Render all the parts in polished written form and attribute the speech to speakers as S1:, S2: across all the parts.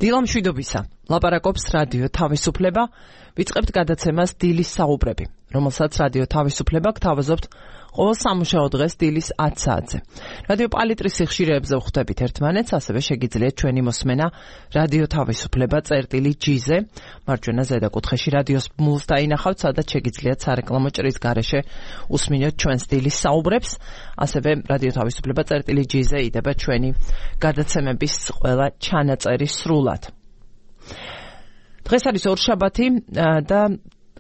S1: დილამშვიდობისა. ლაპარაკობს რადიო თავისუფლება. ვიწყებთ გადაცემას დილის საუბრები, რომელსაც რადიო თავისუფლება გთავაზობთ ყოველ სამუშაო დღეს დილის 10 საათზე. რადიო პალიტრის სიხშირეებზე ვხვდებით ერთმანეთს, ასევე შეგიძლიათ ჩვენი მოსმენა რადიო თავისუფლება წერტილი-G-ზე, მარჯვენა ზედაკუთხეში რადიოს ბმულს დაინახავთ, სადაც შეგიძლიათ სარეკლამო ჭრის გარეშე უსმინოთ ჩვენს დილის საუბრებს, ასევე რადიო თავისუფლება წერტილი-G-ზე იდება ჩვენი გადაცემების ყველა ჩანაწერი სრულად. დღეს არის ორშაბათი და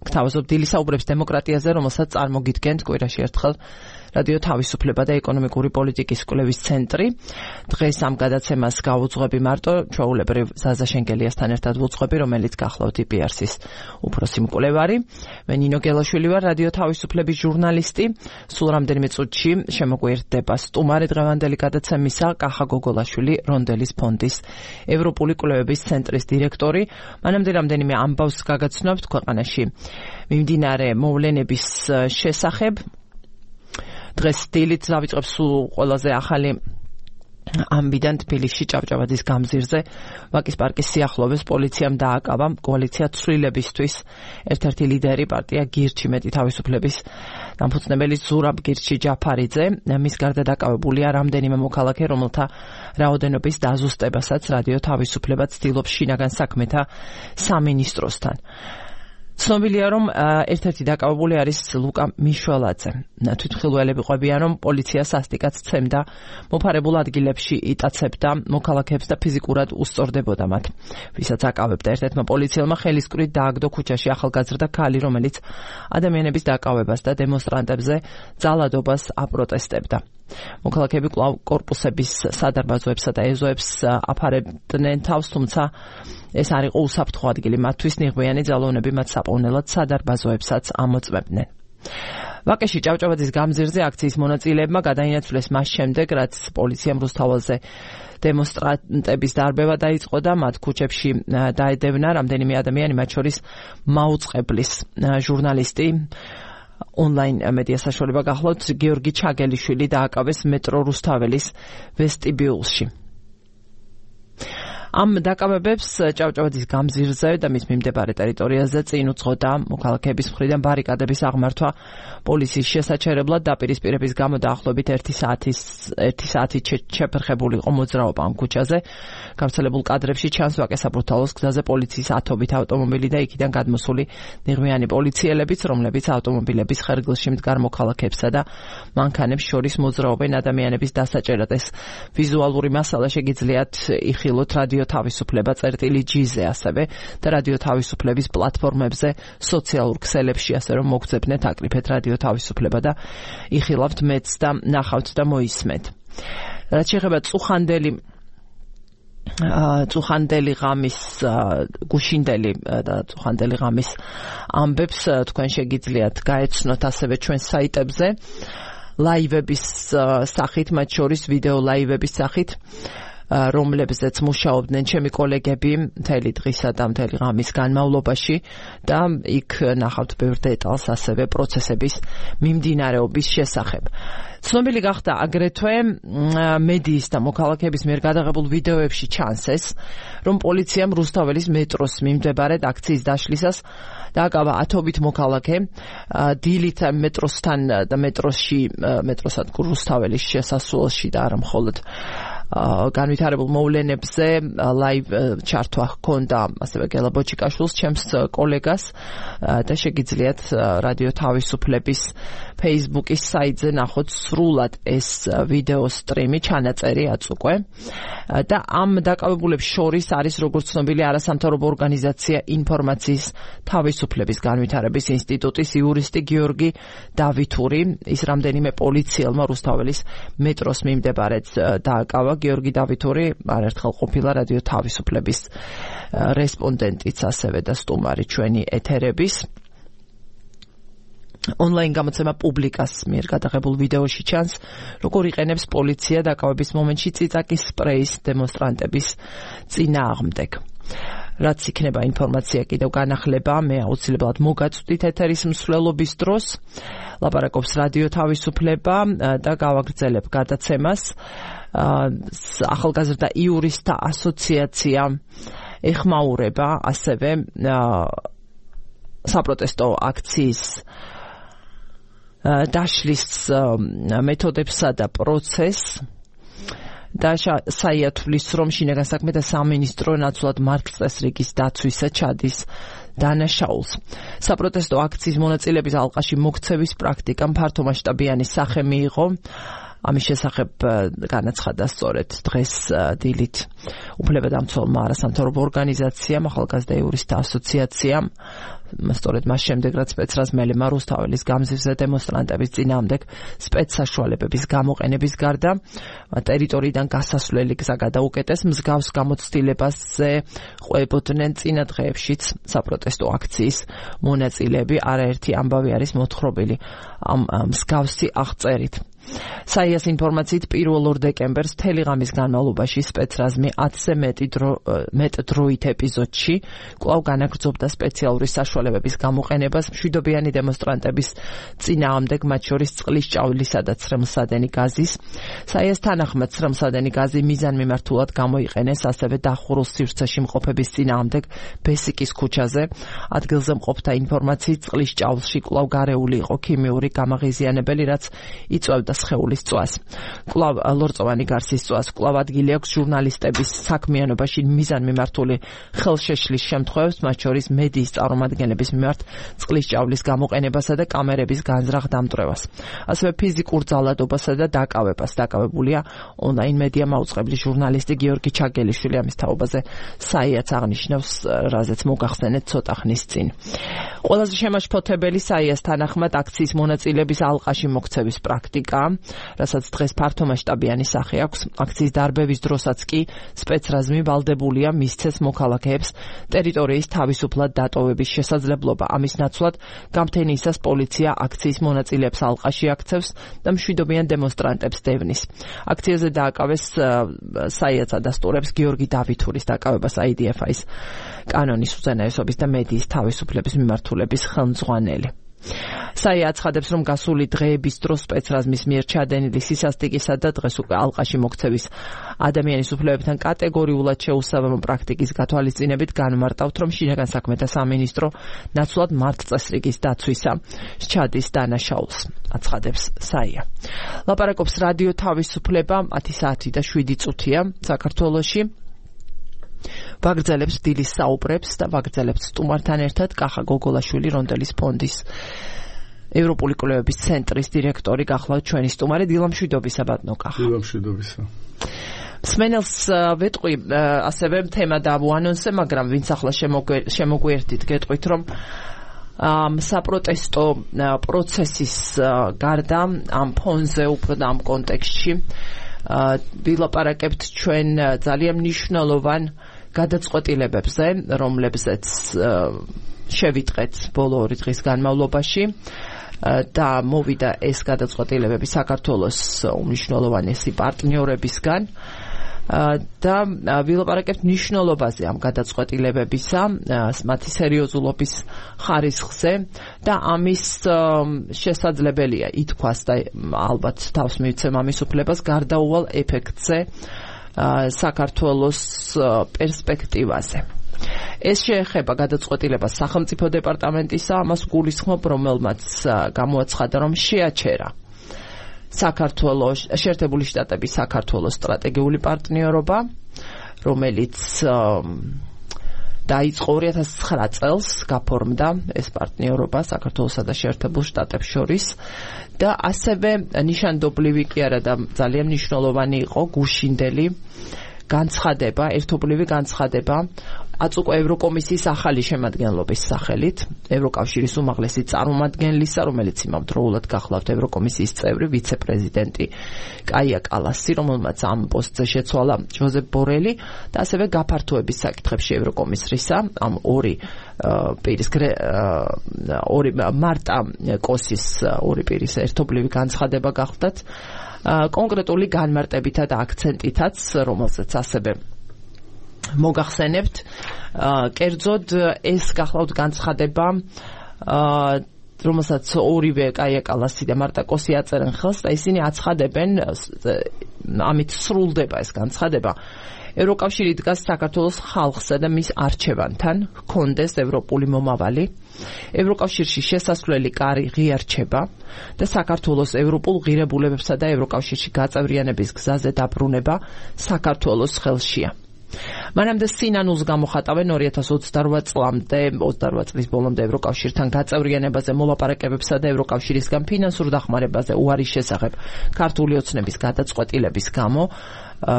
S1: გთავაზობ დილის საუბრებს დემოკრატიაზე, რომელსაც წარმოგიდგენთ კვირაში ერთხელ რადიო თავისუფლება და ეკონომიკური პოლიტიკის კვლევის ცენტრი. დღეს ამ გადაცემას გავუძღვები მარტო ჩვეულებრივ ზაზა შენგელიასთან ერთად ვუძღვები, რომელიც გახლავთ IPRS-ის უფროსი მკვლევარი. მე ნინო გელაშვილი ვარ, რადიო თავისუფლების ჟურნალისტი. სულ რამდენიმე წუთში შემოგვიერთდება სტუმარი დღევანდელი გადაცემისა, კახა გოგოლაშვილი, რონდელის ფონდის ევროპული კვლევების ცენტრის დირექტორი. მანამდე რამდენიმე ამბავს გაგაცნობთ ქვეყანაში მიმდინარე მოვლენების შესახებ. დღეს დილით დავიწყებ სულ ყველაზე ახალი ამბიდან თბილისში ჭავჭავაძის გამზირზე ვაკის პარკის სიახლოვეს პოლიციამ დააკავა კოალიცია ცვლილებისთვის ერთ-ერთი ლიდერი პარტია გირჩი მეტი თავისუფლების დამფუძნებელი ზურაბ გირჩი ჯაფარიძე. მის გარდა დაკავებულია რამდენიმე მოქალაქე, რომელთა რაოდენობის დაზუსტებასაც რადიო თავისუფლება ცდილობს შინაგან საქმეთა სამინისტროსთან. ცნობილია, რომ ერთ-ერთი დაკავებული არის ლუკა მიშველაძე. თვითმხილველები ყვებიან, რომ პოლიცია სასტიკად სცემდა მოფარებულ ადგილებში იტაცებდა მოქალაქეებს და ფიზიკურად უსწორდებოდა მათ. ვისაც აკავებდა, ერთ-ერთმა პოლიციელმა ხელისკვრით დააგდო ქუჩაში ახალგაზრდა ქალი, რომელიც ადამიანების დაკავებას და დემონსტრანტებზე ძალადობას აპროტესტებდა. მოქალაქეები კვლავ კორპუსების სადარბაზოებსა და ეზოებს აფარებდნენ თავს, თუმცა ეს არ იყო უსაფრთხო ადგილი მათთვის, ნიღბიანი ძალოვნები მათ საპოვნელად სადარბაზოებსაც ამოწმებდნენ. ვაკეში ჭავჭავაძის გამზირზე აქციის მონაწილეებმა გადაინაცვლეს მას შემდეგ, რაც პოლიციამ რუსთაველზე დემონსტრანტების დარბევა დაიწყო და მათ ქუჩებში დაედევნა რამდენიმე ადამიანი, მათ შორის მაუწყებლის ჟურნალისტი. ონლაინ მედია საშუალება გახლავთ, გიორგი ჩაგელიშვილი დააკავეს მეტრო რუსთაველის ვესტიბიულში. ამ დაკავებებს ჭავჭავაძის გამზირზე და მის მიმდებარე ტერიტორიაზე წინ უძღოდა მოქალაქეების მხრიდან ბარიკადების აღმართვა პოლიციის შესაჩერებლად. დაპირისპირების გამო დაახლოებით 1 საათით შეფერხებული იყო მოძრაობა ამ ქუჩაზე. გავრცელებულ კადრებში ჩანს ვაკე საბრუთალოს გზაზე პოლიციის ათობით ავტომობილი და იქიდან გადმოსული ნიღბიანი პოლიციელებიც, რომლებიც ავტომობილების ხერგილში მდგარ მოქალაქეებსა და მანქანებს შორის მოძრაობენ ადამიანების დასაჭერად. ეს ვიზუალური მასალა შეგიძლიათ იხილოთ რადიო თავისუფლება წერტილი-G-ზე ასევე და რადიო თავისუფლების პლატფორმებზე, სოციალურ ქსელებში, ასე რომ მოგძებნეთ, აკრიფეთ რადიო თავისუფლება და იხილავთ მეც და ნახავთ და მოისმეთ. რაც შეეხება წუხანდელი ღამის გუშინდელი და წუხანდელი ღამის ამბებს თქვენ შეგიძლიათ გაეცნოთ ასევე ჩვენ საიტებზე ლაივების სახით, მათ შორის ვიდეო ლაივების სახით, რომლებზეც მუშაობდნენ ჩემი კოლეგები მთელი დღისა და მთელი ღამის განმავლობაში და იქ ნახავთ ბევრ დეტალს ასევე პროცესების მიმდინარეობის შესახებ. ცნობილი გახდა აგრეთვე მედიის და მოქალაქეების მიერ გადაღებულ ვიდეოებში ჩანს ეს, რომ პოლიციამ რუსთაველის მეტროს მიმდებარედ აქციის დაშლისას დააკავა ათობით მოქალაქე დილით მეტროსთან და მეტროსადგურ რუსთაველის შესასვლელში და არა მხოლოდ განვითარებულ მოვლენებზე ლაივ ჩართვა ჰქონდა ასევე გელა ბოჭიკაშვილს, ჩემს კოლეგას და შეგიძლიათ რადიო თავისუფლების Facebook-ის საიტზე ნახოთ სრულად ეს ვიდეო სტრიმი, ჩანაწერი აწუკვე და ამ დაკავებულებს შორის არის, როგორც ცნობილი, არასამთავრობო ორგანიზაცია ინფორმაციის თავისუფლების განვითარების ინსტიტუტის იურისტი გიორგი დავითური. ის რამდენიმე პოლიციელმა რუსთაველის მეტროს მიმდებარედ დააკავა. გიორგი დავითური არაერთხელ ყოფილა რადიო თავისუფლების რესპონდენტიც ასევე და სტუმარი ჩვენი ეთერების. ონლაინ გამოცემა პუბლიკას მიერ გადაღებულ ვიდეოში ჩანს, როგორ იყენებს პოლიცია დაკავების მომენტში წიწაკის სპრეის დემონსტრანტების წინააღმდეგ. რაც იქნება ინფორმაცია კიდევ განახლება, მე აუცილებლად მოგაწვდით ეთერის მსვლელობის დროს. ლაპარაკობს რადიო თავისუფლება და გავაგრძელებ გადაცემას. ახალგაზრდა იურისტთა ასოციაცია ეხმაურება ასევე საპროტესტო აქციის დაშლის მეთოდებსა და პროცესს და საია თვლის, რომ შინაგან საქმეთა სამინისტრო ნაცვლად მარკსწესრიგის დაცვისა ჩადის დანაშაულს. საპროტესტო აქციის მონაწილეების ალყაში მოქცევის პრაქტიკამ ფართომასშტაბიანი სახე მიიღო. ამის შესახებ განაცხადა სწორედ დღეს დილით უფლებადამცველმა არასამთავრობო ორგანიზაციამ, ახალგაზრდა იურისტთა ასოციაციამ, სწორედ მას შემდეგ, რაც სპეცრაზ მელემა რუსთაველის გამზირზე დემონსტრანტების წინააღმდეგ სპეცსაშუალებების გამოყენების გარდა ტერიტორიიდან გასასვლელი გზა გადაუკეტეს. მსგავს გამოცდილებაზე ყვებოდნენ წინა დღეებშიც საპროტესტო აქციის მონაწილეები. არაერთი ამბავი არის მოთხრობილი ამ მსგავსი აღწერით. საიას ინფორმაციით 1 დეკემბერს მთელი ღამის განმავლობაში სპეცრაზმი 10-ზე მეტ დროით ეპიზოდში კვლავ განაგრძობდა სპეციალური საშუალებების გამოყენებას მშვიდობიანი დემონსტრანტების წინააღმდეგ, მათ შორის წყლის ჭავლისა და ცრემლსადენი გაზის. საიას თანახმად ცრემლსადენი გაზი მიზანმიმართულად გამოიყენეს ასევე დახურულ სივრცეში მყოფების წინააღმდეგ ბესიკის ქუჩაზე. ადგილზე მყოფთა ინფორმაციით წყლის ჭავლში კვლავ გარეული იყო ქიმიური გამაღიზიანებელი, რაც იწვევდა სხეულის წვას. კვლავ ლორწოვანი გარსის წვას. კვლავ ადგილი აქვს ჟურნალისტების საქმიანობაში მიზანმიმართული ხელშეშლის შემთხვევებს, მათ შორის მედიის წარმომადგენლების მიმართ წყლის ჭავლის გამოყენებასა და კამერების განზრახ დამტვრევას. ასევე ფიზიკურ ძალადობასა და დაკავებას. დაკავებულია ონლაინ მედია მაუწყებლის ჟურნალისტი გიორგი ჩაგელიშვილი. ამის თაობაზე საიაც აღნიშნავს, რაზეც მოგახსენეთ ცოტა ხნის წინ. ყველაზე შემაშფოთებელი საიას თანახმად აქციის მონაწილეების ალყაში მოქცევის პრაქტიკა, რასაც დღეს ფართომასშტაბიანი სახე აქვს. აქციის დარბევის დროსაც კი სპეცრაზმი ვალდებულია მისცეს მოქალაქეებს ტერიტორიის თავისუფლად დატოვების შესაძლებლობა. ამის ნაცვლად გამთენიისას პოლიცია აქციის მონაწილეებს ალყაში აქცევს და მშვიდობიან დემონსტრანტებს დევნის. აქციაზე დააკავეს საიაც ადასტურებს გიორგი დავითურის დაკავებას IDF-ის კანონის უზენაესობის და მედიის თავისუფლების მიმართულების ხელმძღვანელი. საია აცხადებს, რომ გასული დღეების დროს სპეცრაზმის მიერ ჩადენილი სისასტიკისა და დღეს უკვე ალყაში მოქცევის ადამიანის უფლებებთან კატეგორიულად შეუსაბამო პრაქტიკის გათვალისწინებით განმარტავთ, რომ შინაგან საქმეთა სამინისტრო ნაცვლად მარკსწესრიგის დაცვისა ჩადის დანაშაულს, აცხადებს საია. ლაპარაკობს რადიო თავისუფლება 10 საათი და 7 წუთია საქართველოში. ვაგრძელებს დილის საუბრებს და ვაგრძელებს სტუმართან ერთად კახა გოგოლაშვილი, რონდელის ფონდის ევროპული კვლევების ცენტრის დირექტორი გახლავთ ჩვენი სტუმარი. დილამშვიდობისა ბატონო კახა.
S2: დილამშვიდობისა.
S1: მსმენელს ვეტყვი ასევე თემა დავუანონსე, მაგრამ ვინც ახლა შემოგვიერთით, გეტყვით, რომ საპროტესტო პროცესის გარდა ამ ფონზე უფრო და ამ კონტექსტში ვილაპარაკებთ ჩვენ ძალიან მნიშვნელოვან გადაწყვეტილებებზე, რომლებზეც შევიტყეთ ბოლო 2 დღის განმავლობაში და მოვიდა ეს გადაწყვეტილებები საქართველოს უმნიშვნელოვანესი პარტნიორებისგან და ვილაპარაკებთ მნიშვნელობაზე ამ გადაწყვეტილებებისა, მათი სერიოზულობის ხარისხზე და ამის შესაძლებელია ითქვას და ალბათ თავს მივცემ ამის უფლებას გარდაუვალ ეფექტზე საქართველოს პერსპექტივაზე. ეს შეეხება გადაწყვეტილებას სახელმწიფო დეპარტამენტისა, ამას გულისხმობ, რომელმაც გამოაცხადა, რომ შეაჩერა საქართველოს შეერთებული შტატების საქართველოს სტრატეგიული პარტნიორობა, რომელიც დაიწყო 2009 წელს, გაფორმდა ეს პარტნიორობა საქართველოსა და შეერთებულ შტატებს შორის და ასევე ნიშანდობლივი კი არა და ძალიან მნიშვნელოვანი იყო გუშინდელი განცხადება, ერთობლივი განცხადება აწუყო ევროკომისიის ახალი შემადგენლობის სახელით, ევროკავშირის უმაღლესი წარმომადგენლისა, რომელიც იმავდროულად გახლავთ ევროკომისიის წევრი, ვიცე-პრეზიდენტი კაია კალასი, რომელმაც ამ პოსტზე შეცვალა ჟოზეფ ბორელი და ასევე გაფართოების საკითხებში ევროკომისრისა, ამ ორი მარტა კოსის ორი პირის ერთობლივი განცხადება გახლდათ კონკრეტული განმარტებითა და აქცენტითაც, რომელზეც ასევე მოგახსენებთ, კერძოდ ეს გახლავთ განცხადება, რომელსაც ორივე კაია კალასი და მარტა კოსი აწერენ ხელს და ისინი აცხადებენ, ამით სრულდება ეს განცხადება, ევროკავშირი დგას საქართველოს ხალხსა და მის არჩევანთან, ჰქონდეს ევროპული მომავალი. ევროკავშირში შესასვლელი კარი ღიარჩება და საქართველოს ევროპულ ღირებულებებსა და ევროკავშირში გაწევრიანების გზაზე დაბრუნება საქართველოს ხელშია. მანამდე სინანულს გამოხატავენ 2028 წლამდე, 28 წლის ბოლომდე ევროკავშირთან გაწევრიანებაზე მოლაპარაკებებსა და ევროკავშირისგან ფინანსურ დახმარებაზე უარის შესახებ ქართული ოცნების გადაწყვეტილების გამო,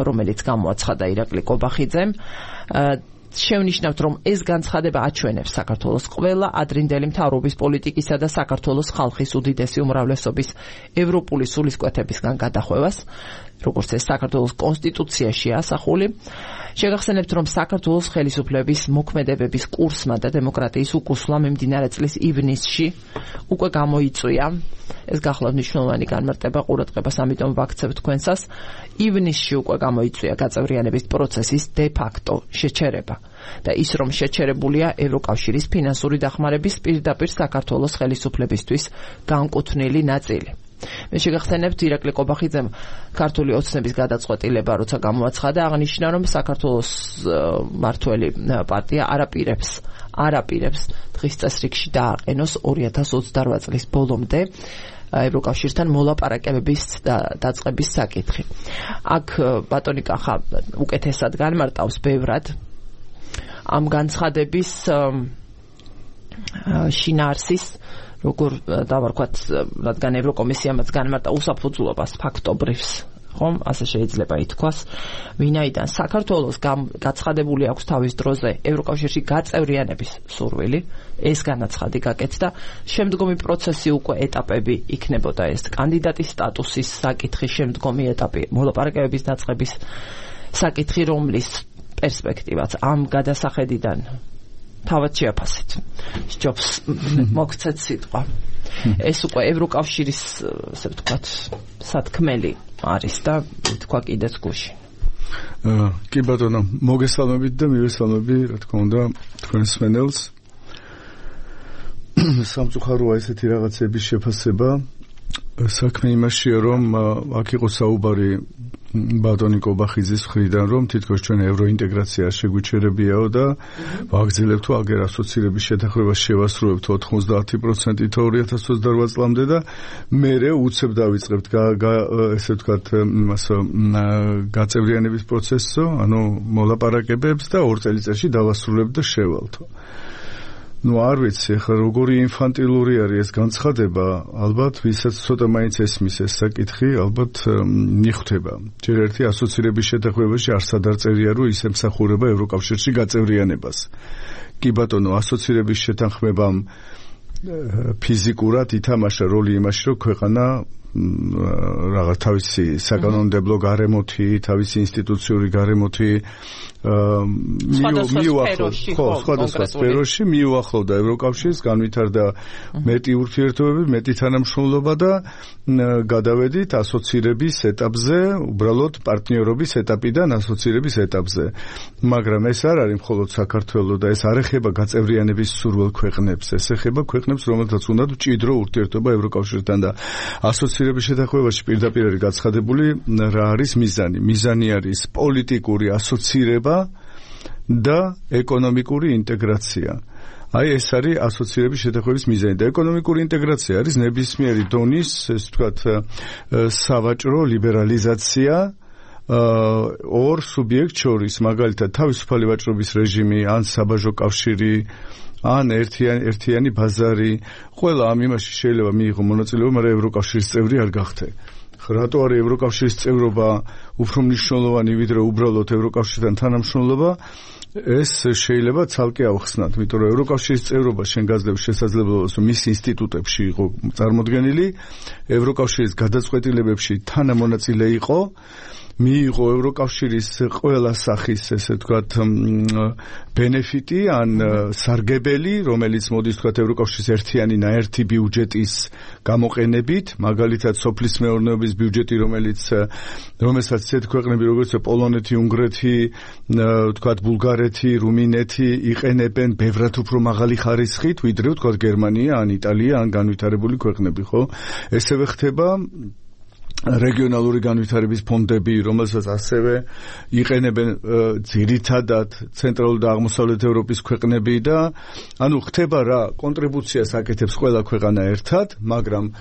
S1: რომელიც გამოაცხადა ირაკლი კობახიძემ, შევნიშნავთ, რომ ეს განცხადება აჩვენებს საქართველოს ყველა ადრინდელი მთავრობის პოლიტიკისა და საქართველოს ხალხის უდიდესი უმრავლესობის ევროპული სულისკვეთებისგან გადახვევას, როგორც ეს საქართველოს კონსტიტუციაშია ასახული. შეგახსენებთ, რომ საქართველოს ხელისუფლების მოქმედებების კურსმა და დემოკრატიის უკუსვლა მიმდინარე წლის ივნისში უკვე გამოიწვია. ეს გახლავთ მნიშვნელოვანი განმარტება ყურადღებას, ამიტომ ვაქცევთ თქვენსას. ივნისში უკვე გამოიწვია გაწევრიანების პროცესის de facto შეჩერება და ის, რომ შეჩერებულია ევროკავშირის ფინანსური დახმარების პირდაპირ საქართველოს ხელისუფლებისთვის განკუთვნილი ნაწილი. მე შეგახსენებთ, ირაკლი კობახიძემ ქართული ოცნების გადაწყვეტილება, როცა გამოაცხადა, აღნიშნა, რომ საქართველოს მმართველი პარტია არაპირებს დღის წესრიგში დააყენოს 2028 წლის ბოლომდე ევროკავშირთან მოლაპარაკებების დაწყების საკითხი. აქ ბატონი კახა უკეთესად განმარტავს ბევრად ამ განცხადების შინაარსის, როგორ დავარქვათ, რადგან ევროკომისიამაც განმარტა უსაფუძვლობას ფაქტობრივის, ხომ, ასე შეიძლება ითქვას, ვინაიდან საქართველოს გაცხადებული აქვს თავის დროზე ევროკავშირში გაწევრიანების სურვილი, ეს განაცხადი გაკეთდა, შემდგომი პროცესი უკვე ეტაპები იქნებოდა, ეს კანდიდატის სტატუსის საკითხი, შემდგომი ეტაპი მოლაპარაკებების დაწყების საკითხი, რომლის პერსპექტივაც ამ გადასახედიდან თავად შეაფასეთ. სჯობს მოგცეთ სიტყვა. ეს უკვე ევროკავშირის, ასე ვთქვათ, სათქმელი არის და თქვა კიდეც გუში.
S2: კი ბატონო, მოგესალმებით და მივესალმები, რა თქმა უნდა, თქვენს მსმენელს. სამწუხაროა ესეთი რაღაცების შეფასება. საქმე იმაშია, რომ აქ იყო საუბარი ბატონი კობახიძის მხრიდან, რომ თითქოს ჩვენ ევროინტეგრაცია შეგვიჩერებიაო და ვაგრძელებთ აგერ ასოცირების შეთანხმებას შევასრულებთ 90%-ით 2028 წლამდე და მერე უცებ დავიწყებთ ესე ვთქვათ გაწევრიანების პროცესსო, ანუ მოლაპარაკებებს და 2 წელიწადში დავასრულებთ და შევალთო. არ ვიცი, ხა როგორი ინფანტილური არის ეს განცხადება, ალბათ ვისაც ცოტა მაინც ესმის ეს საკითხი, ალბათ მიხვდება. ჯერ ერთი ასოცირების შეთანხმებაში არსად არ წერია, რომ ის ემსახურება ევროკავშირში გაწევრიანებას. კი ბატონო, ასოცირების შეთანხმებამ ფიზიკურად ითამაშა როლი იმაში, რომ ქვეყანა რაღაც თავისი საკანონმდებლო გარემოთი, თავისი ინსტიტუციური გარემოთი სხვადასხვა სფეროში მიუახლოვდა ევროკავშირს, განვითარდა მეტი ურთიერთობები, მეტი თანამშრომლობა და გადავედით ასოცირების ეტაპზე, უბრალოდ პარტნიორობის ეტაპიდან ასოცირების ეტაპზე. მაგრამ ეს არ არის მხოლოდ საქართველოს და ეს არ ეხება გაწევრიანების სურვილ ქვეყნებს, ეს ეხება ქვეყნებს, რომელთაც უნდათ მჭიდრო ურთიერთობა ევროკავშირთან და ასოცირების შეთანხმებაში პირდაპირ არის გაცხადებული რა არის მიზანი. მიზანი არის პოლიტიკური ასოცირება და ეკონომიკური ინტეგრაცია. აი ეს არის ასოცირების შეთანხმების მიზანი და ეკონომიკური ინტეგრაცია არის ნებისმიერი დონის, ესე ვთქვათ, სავაჭრო ლიბერალიზაცია ორ სუბიექტ შორის, მაგალითად თავისუფალი ვაჭრობის რეჟიმი, ან საბაჟო კავშირი, ან ერთიანი ბაზარი, ყველა ამ იმაში შეიძლება მიიღო მონაწილეობა, მაგრამ ევროკავშირის წევრი არ გახდე. რატო არის ევროკავშირის წევრობა უფრო მნიშვნელოვანი ვიდრე უბრალოდ ევროკავშირთან თანამშრომლობა? ეს შეიძლება ცალკე ავხსნათ, იმიტომ რომ ევროკავშირის წევრობა შენ გაძლევს შესაძლებლობას, რომ მის ინსტიტუტებში იყო წარმოდგენილი, ევროკავშირის გადაწყვეტილებებში თანამონაწილე იყო, მიიღო ევროკავშირის ყველა სახის, ესე ვთქვათ, ბენეფიტი ან სარგებელი, რომელიც მოდის ვთქვათ ევროკავშირის ერთიანი ნაერთი ბიუჯეტის გამოყენებით, მაგალითად სოფლის მეურნეობის ბიუჯეტი, რომელსაც ისეთი ქვეყნები როგორც პოლონეთი, უნგრეთი, ვთქვათ ბულგარეთი, რუმინეთი იყენებენ ბევრად უფრო მაღალი ხარისხით, ვიდრე ვთქვათ გერმანია, ან იტალია, ან განვითარებული ქვეყნები, ხო? ესევე ხდება რეგიონალური განვითარების ფონდები, რომელსაც ასევე იყენებენ ძირითადად ცენტრალური და აღმოსავლეთ ევროპის ქვეყნები და ანუ ხდება რა კონტრიბუციას აკეთებს ყველა ქვეყანა ერთად, მაგრამ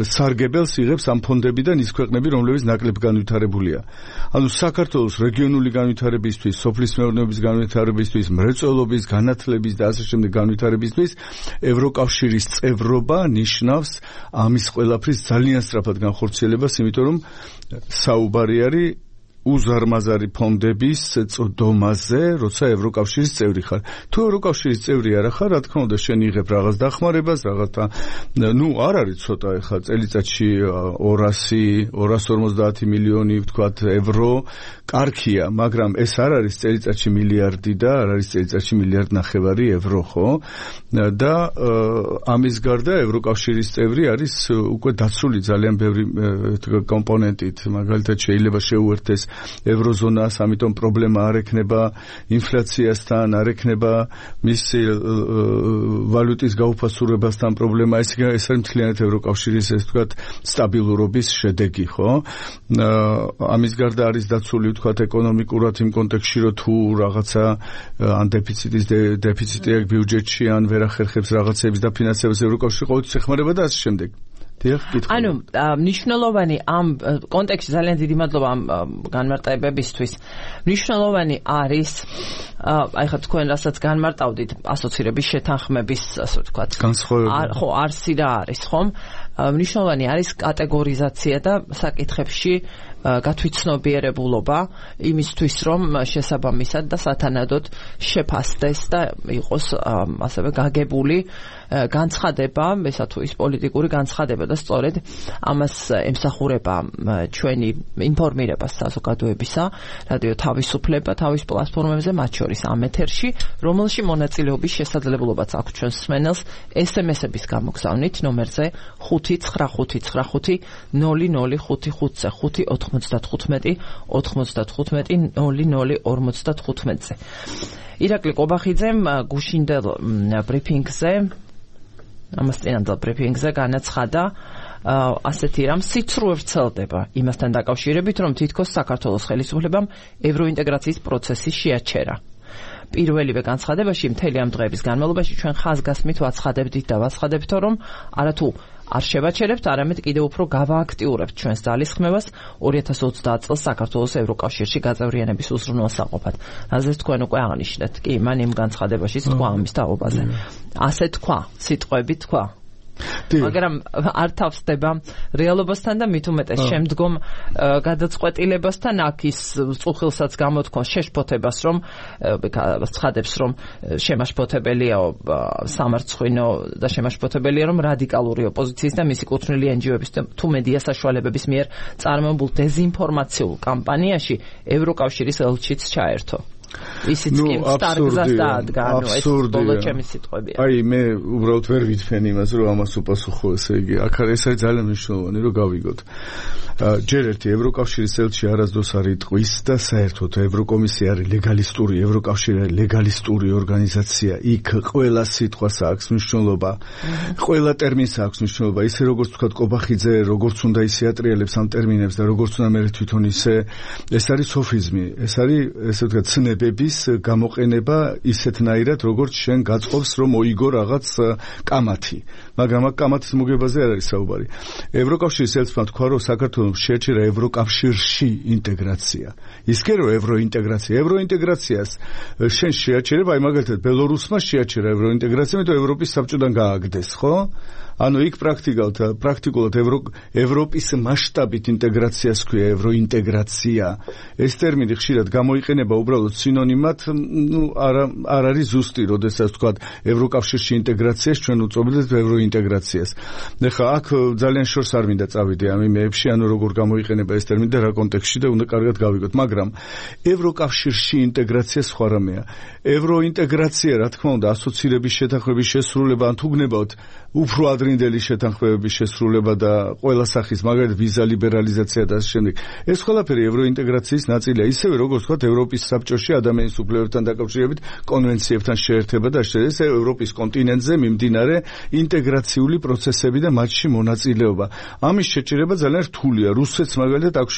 S2: სარგებელს იღებს ამ ფონდებიდან ის ქვეყნები, რომლებიც ნაკლებ განვითარებულია. ანუ საქართველოს რეგიონული განვითარებისთვის, სოფლის მეურნეობის განვითარებისთვის, მრეწველობის, განათლების და ასე შემდეგ განვითარებისთვის ევროკავშირის წევრობა ნიშნავს ამის ყველაფრის ძალიან სწრაფად განხორციელებას, იმიტომ რომ საუბარი არის უზარმაზარი ფონდების წოდომაზე, როცა ევროკავშირის წევრი ხარ. თუ ევროკავშირის წევრი არა ხარ, რა თქმა უნდა, შენ იღებ რაღაც დახმარებას, რაღაცა, არ არის ცოტა ეხლა წელიწადში 200-250 მილიონი, ვთქვათ, ევრო, კარგია, მაგრამ ეს არ არის წელიწადში მილიარდი და არ არის წელიწადში მილიარდ ნახევარი ევრო, ხო? და ამის გარდა ევროკავშირის წევრი არის უკვე დაცული ძალიან ბევრი კომპონენტით, მაგალითად შეიძლება შეუერთდეს ევროზონას, ამიტომ პრობლემა არ ექნება ინფლაციასთან, არ ექნება მისი ვალუტის გაუფასურებასთან პრობლემა, ეს არის მთლიანად ევროკავშირის, ესე ვთქვათ, სტაბილურობის შედეგი, ხო? ამის გარდა არის დაცული, ვთქვათ, ეკონომიკურად იმ კონტექსტში, რომ თუ რაღაცა ან დეფიციტი აქვს ბიუჯეტში, ან ვერ ახერხებს რაღაცების დაფინანსებას ევროკავშირი ყოველთვის ეხმარება და ასე შემდეგ.
S1: ანუ მნიშვნელოვანი ამ კონტექსტში ძალიან დიდი მადლობა ამ განმარტებებისთვის. მნიშვნელოვანი არის აი ხა თქვენ რასაც განმარტავდით ასოცირების შეთანხმების, ასე ვთქვათ, ხო, არსი რა არის, ხომ? მნიშვნელოვანი არის კატეგორიზაცია და საკითხებში გათვითცნობიერებულობა იმისთვის, რომ შესაბამისად და სათანადოდ შეფასდეს და იყოს ასევე გაგებული განცხადება, ესა თუ ის პოლიტიკური განცხადება და სწორედ ამას ემსახურება ჩვენი ინფორმირება საზოგადოებისა, რადიო თავისუფლება თავის პლატფორმებზე, მათ შორის ამ ეთერში, რომელში მონაწილეობის შესაძლებლობაც აქვს ჩვენს მსმენელს SMS-ების გამოგზავნით ნომერზე 599500555-ზე 595-95-95-0055-ზე. ირაკლი ყობახიძემ გუშინდელ ბრიფინგზე ამასწინანდელ ბრიფინგზე განაცხადა ასეთი რამ, სიცრუე ვრცელდება იმასთან დაკავშირებით, რომ თითქოს საქართველოს ხელისუფლებამ ევროინტეგრაციის პროცესი შეაჩერა. პირველივე განცხადებაში მთელი ამ დღეების განმავლობაში ჩვენ ხაზგასმით ვაცხადებდით და ვაცხადებთ, რომ არათუ არ შევაჩერებთ, არამედ კიდევ უფრო გავააქტიურებთ ჩვენს ძალისხმევას 2030 წელს საქართველოს ევროკავშირში გაწევრიანების უზრუნველსაყოფად. რაზეც თქვენ უკვე აღნიშნეთ. კი, მან იმ განცხადებაში თქვა ამის თაობაზე. ასე თქვა, სიტყვები თქვა. მაგრამ არ თავსდება რეალობასთან და მით უმეტეს შემდგომ გადაწყვეტილებასთან, აქ ის წუხილსაც გამოთქვა შეშფოთებას, რომ ცხადებს, რომ შემაშფოთებელია სამარცხვინო და შემაშფოთებელია, რომ რადიკალური ოპოზიციის და მისი კუთვნილი NGO-ების თუ მედია საშუალებების მიერ წარმოებულ დეზინფორმაციულ კამპანიაში ევროკავშირის ელჩიც ჩაერთო. ისიც კი სტარგზას დაადგა, ანუ ეს ბოლო ჩემი სიტყვებია.
S2: აი, მე უბრალოდ ვერ ვიტფენ იმას, რომ ამას უპასუხო, ესე იგი, აქ არის ძალიან მნიშვნელოვანი, რომ გავიგოთ. ჯერ ერთი ევროკავშირის ელჩი არასდროს არ იტყვის და საერთოდ ევროკომისია არის ლეგალისტური, ევროკავშირი არის ლეგალისტური ორგანიზაცია. იქ ყველა სიტყვას აქვს მნიშვნელობა, ყველა ტერმინს აქვს მნიშვნელობა. ისე როგორც თქვა ყობახიძე, როგორც უნდა ისე ატრიალებს ამ ტერმინებს და როგორც უნდა მე თვითონ ისე, ეს არის სოფიზმი, ეს არის, ესე ვთქვათ, ცნებების გამოყენება ისეთნაირად, როგორც შენ გაწყობს, რომ მოიგო რაღაც კამათი. მაგრამ აქ კამათის მოგებაზე არ არის საუბარი. ევროკავშირის ელჩმა თქვა, რომ საქართველოს შეაჩერა ევროკავშირში ინტეგრაცია. ის კი რომ ევროინტეგრაციას შენ შეაჩერება, აი მაგალითად ბელორუსმა შეაჩერა ევროინტეგრაცია, მეტყვი ევროპის საბჭოდან გააგდეს, ხო? ანუ იქ პრაქტიკულად ევროპის მასშტაბით ინტეგრაციას ქვია ევროინტეგრაცია. ეს ტერმინი ხშირად გამოიყენება უბრალოდ სინონიმად, არ არის ზუსტი, როდესაც ვთქვათ ევროკავშირში ინტეგრაციას, ჩვენ უწოდებთ ევროინტეგრაციას. ეხლა აქ ძალიან შორს არ მინდა წავიდე ამ იმეებში, ანუ როგორ გამოიყენება ეს ტერმინი და რა კონტექსტში და უნდა კარგად გავიგოთ, მაგრამ ევროკავშირში ინტეგრაცია სხვა რამეა. ევროინტეგრაცია, რა თქმა უნდა, ასოცირების შეთანხმების შესრულება, ან თუ გნებავთ უფრო ადრინდელი შეთანხმებების შესრულება და ყველა სახის, მაგალითად ვიზა ლიბერალიზაცია და ასე შემდეგ. ეს ყველაფერი ევროინტეგრაციის ნაწილია, ისევე როგორც ვთქვათ ევროპის საბჭოში ადამიანის უფლებებთან დაკავშირებით კონვენციებთან შეერთება და ეს ევროპის კონტინენტზე მიმდინარე ინტეგრაციული პროცესები და მათში მონაწილეობა. ამის შეჭერება ძალიან რთულია. რუსეთს მაგალითად აქვს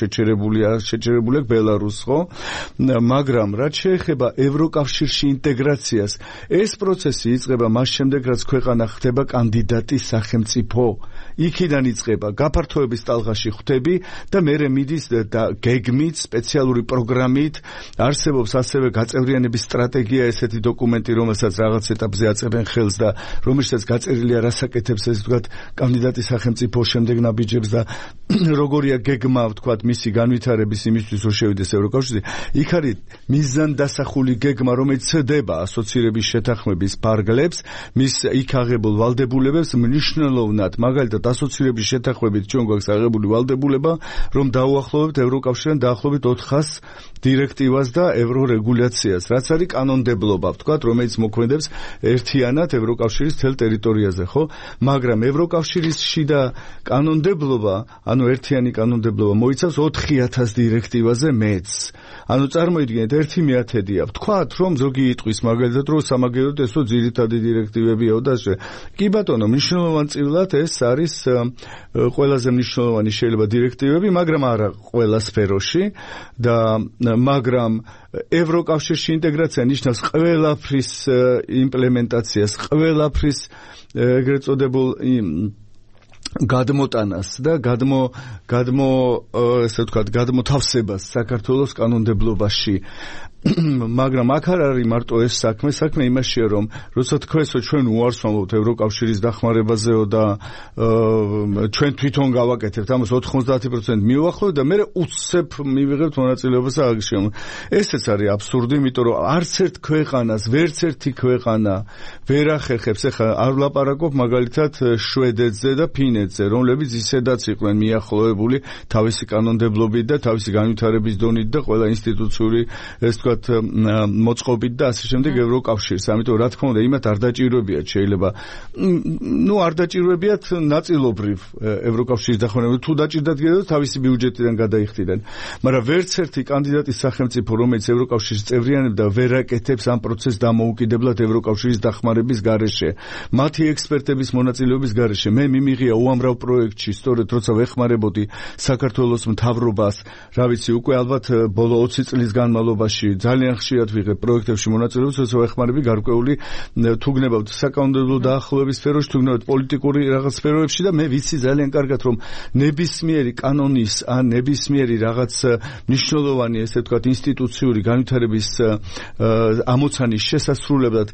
S2: შეჭერებული ბელარუსს, ხო? მაგრამ რაც შეეხება ევროკავშირში ინტეგრაციას, ეს პროცესი იწყება მას შემდეგ, რაც ქვეყანა ხდება კანდიდატის სახელმწიფო. იქიდან იწყება გაფართოების ტალღაში ხვდები და მერე მიდის გეგმით, სპეციალური პროგრამით, არსებობს ასევე გაწევრიანების სტრატეგია, ესეთი დოკუმენტი, რომელსაც რაღაც ეტაპზე აწევენ ხელს და რომელშიც გაწერილია რასაკეთებს ეს ვთქვათ კანდიდატის სახელმწიფო შემდეგ ნაბიჯებს და როგორია გეგმა ვთქვათ მისი განვითარების იმისთვის რომ შევიდეს ევროკავშირში. იქ არის მიზანდასახული გეგმა, რომელიც ცდება ასოცირების შეთანხმების ფარგლებს, მის იქ აღებულ ვალდებულებებს მნიშვნელოვნად, მაგალითად ასოცირების შეთანხმებით ჩვენ გვაქვს აღებული ვალდებულება, რომ დაუახლოვებთ ევროკავშირთან დაახლოებით 400 დირექტივას და ევრორეგულაციას, რაც არის კანონმდებლობა, ვთქვათ, რომელიც მოქმედებს ერთიანად ევროკავშირის მთელ ტერიტორიაზე, ხო? მაგრამ ევროკავშირის შიდა კანონმდებლობა, ანუ ერთიანი კანონმდებლობა მოიცავს 4000 დირექტივაზე მეც. ანუ წარმოიდგინეთ 1/1000-ია. ვთქვათ, რომ ზოგი იტყვის მაგალითად, რომ სამაგეროდ ესო ძირითადი დირექტივებიაო და კი ბატონო, მნიშვნელოვანწილად ეს არის ყველაზე მნიშვნელოვანი შეიძლება დირექტივები, მაგრამ არა ყველა სფეროში და მაგრამ ევროკავშირში ინტეგრაცია ნიშნავს ყველაფრის იმპლემენტაციას, ყველაფრის ეგრეთ წოდებულ გადმოტანას და ესე ვთქვათ, გადმოთავსებას საქართველოს კანონმდებლობაში. მაგრამ აქ არ არის მარტო ეს საქმე იმაშია, რომ როცა თქვენსო ჩვენ უარს ვამბობთ ევროკავშირის დახმარებაზეო და ჩვენ თვითონ გავაკეთებთ ამას 90% მივუახლოვთ და მე უცებ მივიღებთ მონაწილეობას აღშემ. ესეც არის აბსურდი, იმიტომ რომ არც ერთ ქვეყანას, ვერც ერთი ქვეყანა ვერ ახერხებს. ეხლა არ ვლაპარაკობ მაგალითად შვედეთზე და ფინეთზე, რომლებიც ისედაც იყვნენ მიახლოებული თავისი კანონმდებლობით და თავისი განვითარების დონით და ყველა ინსტიტუციური ეს თქვა მოწყობით და ასე შემდეგ ევროკავშირს. ამიტომ რა თქმა უნდა, იმათ არ დაჭიროებიათ შეიძლება. არ დაჭიროებიათ ნაწილობრივ ევროკავშირის დახმარება. თუ დაჭირდათ კიდევ თავისი ბიუჯეტიდან გადაიხდიდნენ. მაგრამ ვერც ერთი კანდიდატის სახელმწიფო, რომელიც ევროკავშირის წევრიანებდა, ვერ აკეთებს ამ პროცესს დამოუკიდებლად ევროკავშირის დახმარების გარეშე. მათი ექსპერტების მონაწილეობის გარეშე. მე მიმიღია უამრავ პროექტში, სწორედ როცა ვეხმარებოდი საქართველოს მთავრობას, რა ვიცი, უკვე ალბათ ბოლო 20 წლის განმავლობაში ძალიან ხშირად ვიღებ პროექტებში მონაწილეობას, როცა ვეხმარები გარკვეული თუ გნებავთ საკანონმდებლო დაახლოების სფეროში, თუ გნებავთ პოლიტიკური რაღაც სფეროებში და მე ვიცი ძალიან კარგად, რომ ნებისმიერი კანონის ან ნებისმიერი რაღაც მნიშვნელოვანი, ესე ვთქვათ, ინსტიტუციური განვითარების ამოცანის შესასრულებლად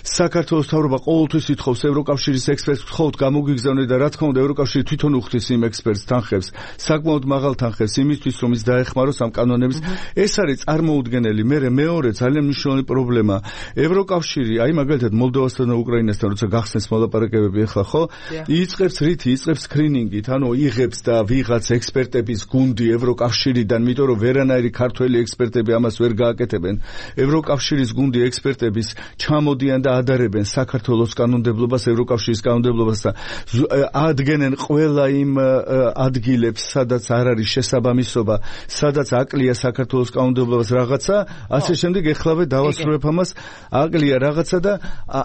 S2: საქართველოს მთავრობა ყოველთვის ითხოვს ევროკავშირის ექსპერტს, გთხოვთ გამოგიგზავნეთ და რა თქმა უნდა ევროკავშირი თვითონ უხდის იმ ექსპერტს თანხებს, საკმაოდ მაღალ თანხებს იმისთვის, რომ ის დაეხმაროს ამ კანონების. ეს არის წარმოუდგენელი. მეორე ძალიან მნიშვნელოვანი პრობლემა. ევროკავშირი, აი მაგალითად მოლდოვასთან და უკრაინასთან როცა გახსნეს მოლაპარაკებები ახლა, ხო? იწყებს სკრინინგით, ანუ იღებს და ვიღაც ექსპერტების გუნდი ევროკავშირიდან, იმიტომ რომ ვერანაირი ქართველი ექსპერტები ამას ვერ გააკეთებენ. ევროკავშირის გუნდი ექსპერტების ჩამოდიან და ადარებენ საქართველოს კანონმდებლობას, ევროკავშირის კანონმდებლობას და ადგენენ ყველა იმ ადგილებს, სადაც არ არის შესაბამისობა, სადაც აკლია საქართველოს კანონმდებლობას რაღაცა, ასე შემდეგ ეხლავე დავასრულებ ამას, აკლია რაღაცა და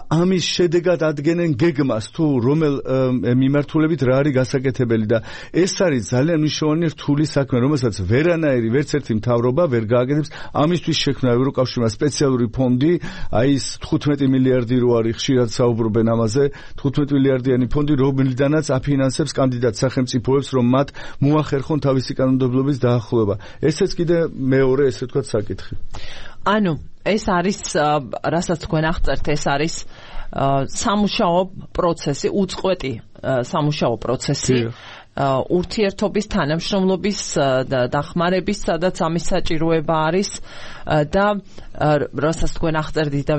S2: ამის შედეგად ადგენენ გეგმას, თუ რომელ მიმართულებით რა არის გასაკეთებელი და ეს არის ძალიან მნიშვნელოვანი რთული საქმე, რომელსაც ვერანაირი ვერც ერთი მთავრობა ვერ გააკეთებს. ამისთვის შექმნა ევროკავშირმა სპეციალური ფონდი, აი ეს 15 მილიარდი რო არის, ხშირად საუბრობენ ამაზე, 15 მილიარდიანი ფონდი, რომლიდანაც აფინანსებს კანდიდატ სახელმწიფოებს, რომ მათ მოახერხონ თავისი კანონმდებლობის დაახლოება. ესეც კიდე მეორე, ესე ვთქვათ, საკითხი.
S1: ანუ ეს არის, რასაც თქვენ აღწერთ, ეს არის სამუშაო პროცესი, უწყვეტი სამუშაო პროცესი. ურთიერთობის თანამშრომლობის დახმარების, სადაც ამის საჭიროება არის და რასაც თქვენ აღწერდით და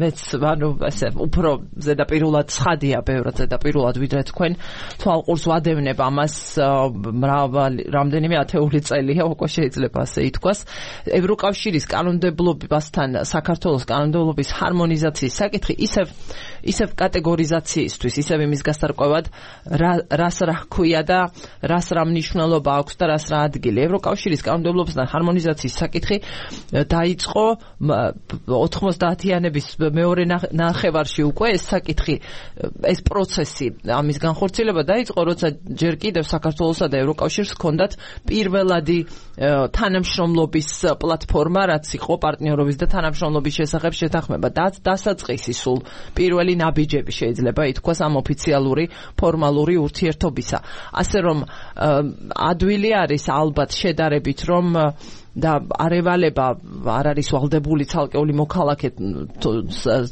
S1: მეც ესე უფრო ზედაპირულად ცხადია, ბევრად ზედაპირულად ვიდრე თქვენ თვალყურს ვადევნებ ამას რამდენიმე ათეული წელია, უკვე შეიძლება ასე ითქვას. ევროკავშირის კანონმდებლობასთან საქართველოს კანონმდებლობის ჰარმონიზაციის საკითხი ისევ კატეგორიზაციისთვის, ისევ იმის გასარკვევად, რას რა ჰქვია წერია და რას რა მნიშვნელობა აქვს და რას რა ადგილი. ევროკავშირის კანონმდებლობასთან ჰარმონიზაციის საკითხი დაიწყო 90-იანების მეორე ნახევარში უკვე ეს საკითხი, ეს პროცესი, ამის განხორციელება დაიწყო, როცა ჯერ კიდევ საქართველოსა და ევროკავშირს ჰქონდათ პირველადი თანამშრომლობის პლატფორმა, რაც იყო პარტნიორობის და თანამშრომლობის შესახებ შეთანხმება. დასაწყისი სულ პირველი ნაბიჯები შეიძლება ითქვას ამ ოფიციალური ფორმალური ურთიერთობისა. ასე რომ ადვილი არის ალბათ შედარებით, რომ და არევალება არ არის ვალდებული ცალკეული მოქალაქე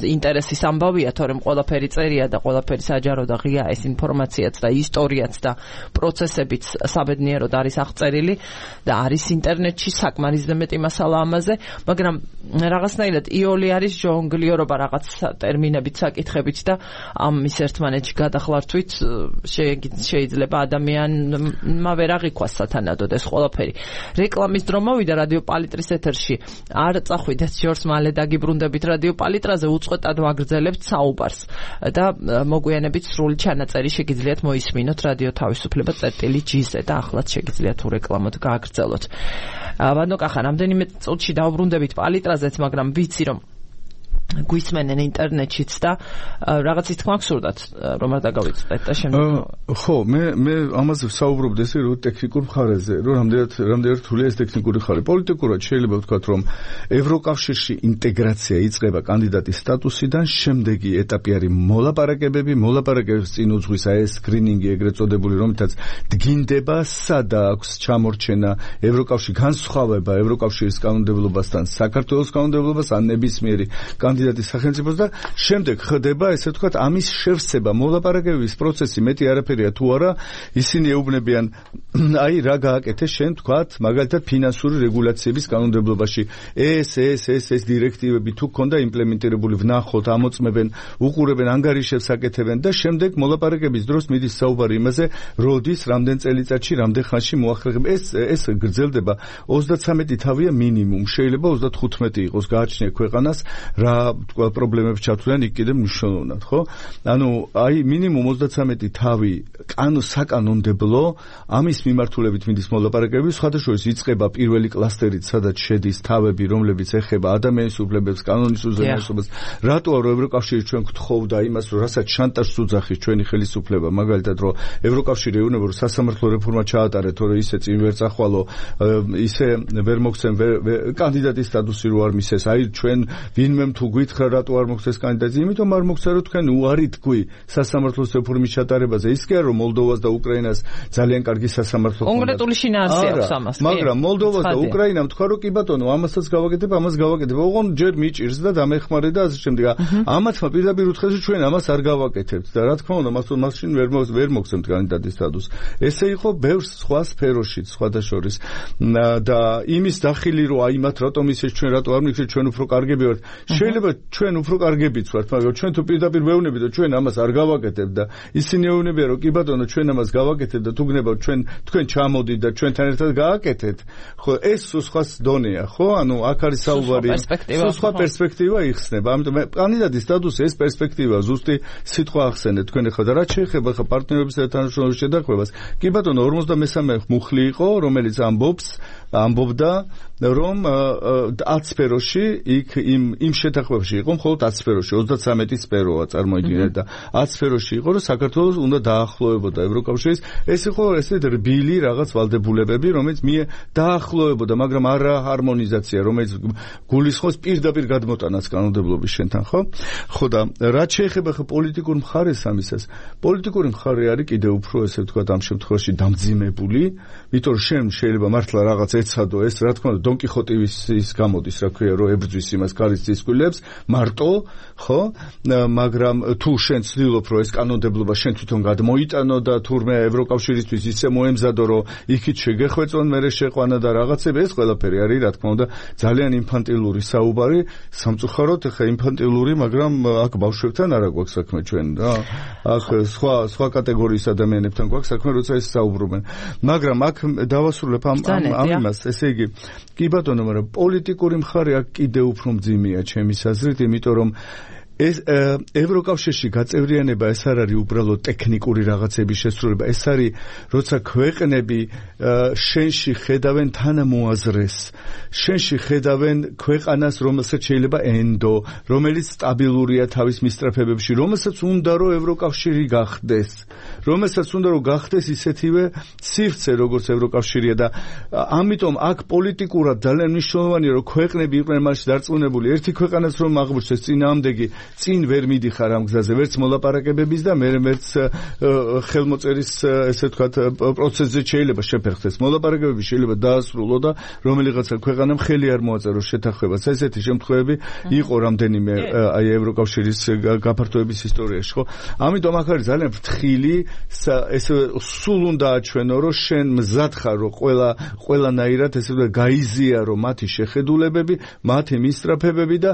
S1: ინტერესის ამბავია, თორემ ყველაფერი წერია და ყველაფერი საჯარო და ღია ეს ინფორმაციაც და ისტორიაც და პროცესებიც საბედნიეროდ არის აღწერილი და არის ინტერნეტში საკმარისზე მეტი მასალა ამაზე, მაგრამ რაღაცნაირად იოლი არის ჟონგლიორობა რაღაც ტერმინებით, საკითხებით და ამის ერთმანეთში გადახლართვით შეიძლება ადამიანმა ვერ აღიქვას სათანადოდ ეს ყველაფერი. რეკლამის დრო მოვიდა რადიო პალიტრის ეთერში. არ წახვიდეთ ჯორს, მალე დაგიბრუნდებით რადიო პალიტრაზე, უწყვეტად ვაგრძელებთ საუბარს და მოგვიანებით სრული ჩანაწერი შეგიძლიათ მოისმინოთ რადიო თავისუფლება წერტილი.gz-ზე და ახლაც შეგიძლიათ თუ რეკლამოთ გააგრძელოთ. ბატონო კახა, რამდენიმე წუთში დავბრუნდებით პალიტრაზეც, მაგრამ ვიცი რომ გვისმენენ ინტერნეტშიც და რაღაცის თქმა გსურდათ რომ არ დაგავიწყდეთ და შემდეგ
S2: ხო მე ამაზე ვსაუბრობდი ესე რომ ტექნიკურ მხარეზე რომ რამდენად რთულია ეს ტექნიკური მხარე პოლიტიკურად შეიძლება ვთქვათ რომ ევროკავშირში ინტეგრაცია იწყება კანდიდატის სტატუსიდან შემდეგი ეტაპი არის მოლაპარაკებების წინ უძღვის ეს სკრინინგი ეგრეთ წოდებული რომლითაც დგინდება სადა აქვს ჩამორჩენა ევროკავშირის განსხვავება ევროკავშირის კანონმდებლობასთან საქართველოს კანონმდებლობას ან ნებისმიერი კანდიდატის სახელმწიფოს და შემდეგ ხდება ესე ვთქვათ ამის შევსება მოლაპარაკებების პროცესი მეტი არაფერია თუ არა ისინი ეუბნებიან აი რა გააკეთე შენ ვთქვათ მაგალითად ფინანსური რეგულაციების კანონმდებლობაში ეს დირექტივები თუ ქონდა იმპლემენტირებული ვნახოთ ამოწმებენ უყურებენ ანგარიშებს აკეთებენ და შემდეგ მოლაპარაკების დროს მიდის საუბარი იმაზე როდის რამდენ წელიწადში რამდენ ხანში მოახერხება ეს გრძელდება 33 თავია მინიმუმ შეიძლება 35 იყოს გააჩნია ქვეყანას რა პრობლემებს ჩათვლიან იქ კიდე მნიშვნელოვნად ხო ანუ აი მინიმუმ 33 თავი საკანონმდებლო ამის მიმართულებით მიდის მოლაპარაკებები სხვადასხვა იწყება პირველი კლასტერით სადაც შედის თავები რომლებიც ეხება ადამიანის უფლებებს კანონის უზენაესობას რატო არ ევროკავშირი ჩვენ გთხოვდა იმას რომ რასაც შანტაჟს უძახის ჩვენი ხელისუფლება მაგალითად რომ ევროკავშირი ეუბნება რომ სასამართლო რეფორმა ჩაატარეთ თორე ისე წინ ვერ წახვალო ისე ვერ მოგცემ კანდიდატის სტატუსი რო არ მისცეს აი ჩვენ ვინმე თუ გითხრა რატო არ მოგცეს კანდიდატი იმიტომ არ მოგცა რომ თქვენ უარი თქვი სასამართლოს რეფორმის ჩატარებაზე ის კი არა რომ მოლდოვას და უკრაინას ძალიან კარგი სასამართლო ხონდა
S1: კონკრეტული შინაარსი აქვს ამას
S2: მაგრამ მოლდოვას და უკრაინამ თქვა რომ კი ბატონო ამასაც გავაკეთებ ამას გავაკეთებ ოღონ ჯერ მიჭირს და დამეხმარე და ასე შემდეგ ამათმა პირდაპირ უთხრეს რომ ჩვენ ამას არ გავაკეთებთ და რა თქმა უნდა მაშინ ვერ მოგცემთ კანდიდატის სტატუსს ესე იყო ბევრ სხვა სფეროშიც სხვადასხვა და იმის დახილი რომ აი მათ რატომ ისეს ჩვენ რატო არ მიქცეთ ჩვენ უფრო კარგები ვართ შეიძლება ჩვენ უფრო კარგებიც ვართ მაგრამ ჩვენ თუ პირდაპირ ვეუბნებით რომ ჩვენ ამას არ გავაკეთებთ და ისინი ეუბნებიან რომ კი ბატონო ჩვენ ამას გავაკეთებთ და თუ გნებავთ თქვენ ჩამოდით და ჩვენთან ერთად გააკეთეთ ხო ეს სხვა დონეა ხო ანუ აქ არის საუბარი სხვა პერსპექტივა იხსნება ამიტომ კანდიდატის სტატუსი ეს პერსპექტივა ზუსტი სიტყვა ახსენეთ თქვენ ახლა და რაც შეეხება ხა პარტნიორების თანამშრომლობის შედარებას კი ბატონო 53 მუხლი იყო რომელიც ამბობდა რომ 10 სფეროში იქ იმ შეთანხმებაში იყო მხოლოდ 10 სფეროში 33 სფეროა წარმოიდგინეთ და 10 სფეროში იყო რომ საქართველოს უნდა დაახლოებოდა ევროკავშირის ეს იყო ესეთ რბილი რაღაც ვალდებულებები რომელიც დაახლოებოდა მაგრამ არა ჰარმონიზაცია რომელიც გულისხმობს პირდაპირ გადმოტანას კანონმდებლობის შენთან ხო და რაც შეეხება ხა პოლიტიკურ მხარეს ამისას პოლიტიკური მხარე არის კიდე უფრო ესე ვთქვათ ამ შემთხვევაში დამძიმებული იმიტომ რომ შენ შეიძლება მართლა რაღაც ეცადო ეს რა თქმა უნდა დონ კიხოტის ის გამოდის რა ქვია რომ ებრძვის იმას კარის სკვილებს მარტო ხო მაგრამ თუ შენ ცდილობ რომ ეს კანონმდებლობა შენ თვითონ გადმოიტანო და თურმე ევროკავშირისთვის ისე მოემზადო რომ იქით შეგეხვეწონ მერე შეყვანა და რაღაცები ეს ყველაფერი არის რა თქმა უნდა ძალიან ინფანტილური საუბარი სამწუხაროდ ხა ინფანტილური მაგრამ აქ ბავშვებთან არა გვაქვს საქმე ჩვენ რა აქ სხვა კატეგორიის ადამიანებთან გვაქვს საქმე როცა ეს საუბრობენ მაგრამ აქ დავასრულებ ამ იმას ესე იგი კი ბატონო მაგრამ პოლიტიკური მხარე აქ კიდე უფრო მძიმეა ჩემის აზრით იმიტომ რომ ეს ევროკავშირში გაწევრიანება ეს არ არის უბრალოდ ტექნიკური რაღაცების შესრულება, ეს არის როცა ქვეყნები შენში ხედავენ თანამოაზრეს, შენში ხედავენ ქვეყანას, რომელსაც შეიძლება ენდო, რომელიც სტაბილურია თავის მისწრაფებებში, რომელსაც უნდა რომ ევროკავშირი გახდეს, რომელსაც უნდა რომ გახდეს ისეთივე სივრცე როგორც ევროკავშირია და ამიტომ აქ პოლიტიკურად ძალიან მნიშვნელოვანია რომ ქვეყნები იყვნენ მასში დარწმუნებული, ერთი ქვეყანაც რომ აღბურჩეს წინააღმდეგი წინ ვერ მიდიხარ ამ გზაზე, ვერც მოლაპარაკებების და მერც ხელმოწერის ესე ვთქვათ პროცესზე შეიძლება შეფერხდეს. მოლაპარაკებები შეიძლება დაასრულო და რომელიღაცა ქვეყანამ ხელი არ მოაწეროს შეთანხმებას. ესეთი შემთხვევები იყო რამდენიმე აი ევროკავშირის გაფართოების ისტორიაში, ხო? ამიტომ აქ არის ძალიან ფრთხილი, ესე სულ უნდა აჩვენო, რომ შენ მზად ხარ, რომ ყველანაირად ესე ვთქვათ გაიზიარო მათი შეხედულებები, მათი მისწრაფებები და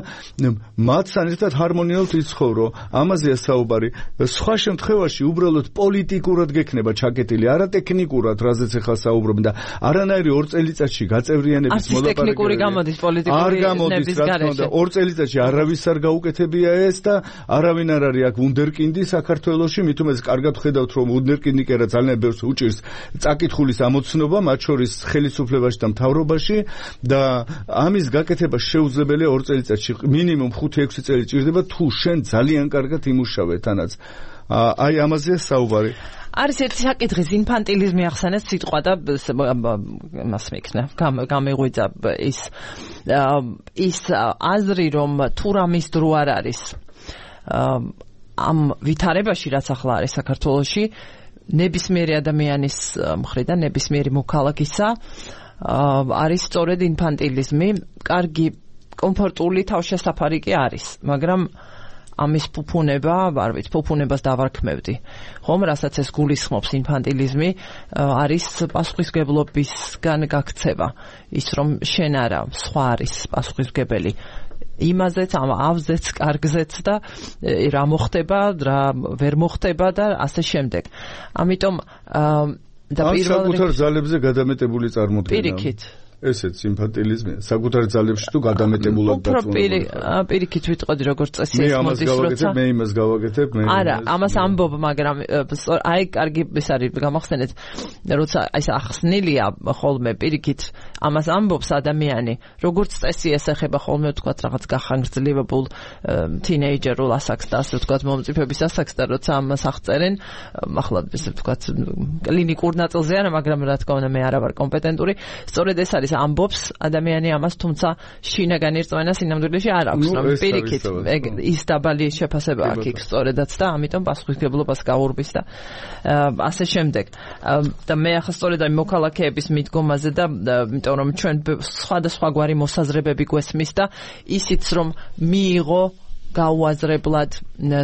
S2: მათთან ერთად ჰარმონიულად იცხოვრო. ამაზეა საუბარი. სხვა შემთხვევაში უბრალოდ პოლიტიკურად გექნება ჩაკეტილი, არა ტექნიკურად, რაზეც ახლა საუბრობენ და არანაირი 2 წელიწადში გაწევრიანების
S1: მოლაპარაკებები არ გამოდის პოლიტიკური ნების გარეშე.
S2: 2 წელიწადში არავის არ გაუკეთებია ეს და არავინ არ არის აქ ვუნდერკინდი საქართველოში, მით უმეტეს კარგად ხედავთ რომ ვუნდერკინდი კი არა ძალიან ბევრს უჭირს წაკითხulis ამოცნობა, მათ შორის ხელისუფლებაში და მთავრობაში და ამის გაკეთება შეუძლებელია 2 წელიწადში, მინიმუმ 5-6 წელი ჭირდება თუ შენ ძალიან კარგად იმუშავე თანაც. აი ამაზეა საუბარი.
S1: არის ერთი საკითხის ინფანტილიზმი ახსენეთ სიტყვა და მას მეკნა გამეღვიძა ის აზრი რომ თუ რამის დრო არ არის ამ ვითარებაში რაც ახლა არის საქართველოში ნებისმიერი ადამიანის მხრიდან ნებისმიერი მოქალაქისა არის სწორედ ინფანტილიზმი, კარგი კომფორტული თავშესაფარი კი არის, მაგრამ ამის ფუფუნება, არ ვიცი, ფუფუნებას დავარქმევდი. ხომ, რასაც ეს გულისხმობს ინფანტილიზმი, არის პასუხისმგებლობისგან გაქცევა. ის რომ შენ არა, სხვა არის პასუხისმგებელი. იმაზეც, ამ ავზეც, კარგზეც და რა მოხდება, რა ვერ მოხდება და ასე შემდეგ. ამიტომ
S2: და პირველ საკუთარ ძალებზე გადამეტებული წარმოდგენა.
S1: პირიქით.
S2: ესეც ინფანტილიზმია. საკუთარ ძალებში თუ გადამეტებულად
S1: დაწუნებული. პირიქით ვიტყოდი როგორც წესი ეს მოდის როცა.
S2: მე იმას გავაკეთებ,
S1: არა, ამას ამბობ, მაგრამ აი კარგი ეს არის გამახსენეთ, როცა აი ახსნილია ხოლმე პირიქით ამას ამბობს ადამიანი, როგორც წესი ეს ეხება ხოლმე ვთქვათ რაღაც გახანგრძლივებულ თინეიჯერულ ასაკს და ასე ვთქვათ მომწიფების ასაკს და როცა ამას აღწერენ, ახლა ესე ვთქვათ კლინიკურ ნაწილზე არა, მაგრამ რა თქმა უნდა მე არა ვარ კომპეტენტური, სწორედ ეს არის ამბობს ადამიანი ამას, თუმცა შინაგან ერთმანა სინამდვილეში არ აქვს, რომ პირიქით ის დაბალი შეფასება აქვს იქ სწორედაც და ამიტომ პასუხისმგებლობას გაურბის და ასე შემდეგ. და მე ახლა სწორედ ამ მოქალაქეების მიდგომაზე და იმიტომ რომ ჩვენ სხვადასხვაგვარი მოსაზრებები გვესმის და ისიც რომ მიიღო გაუაზრებლად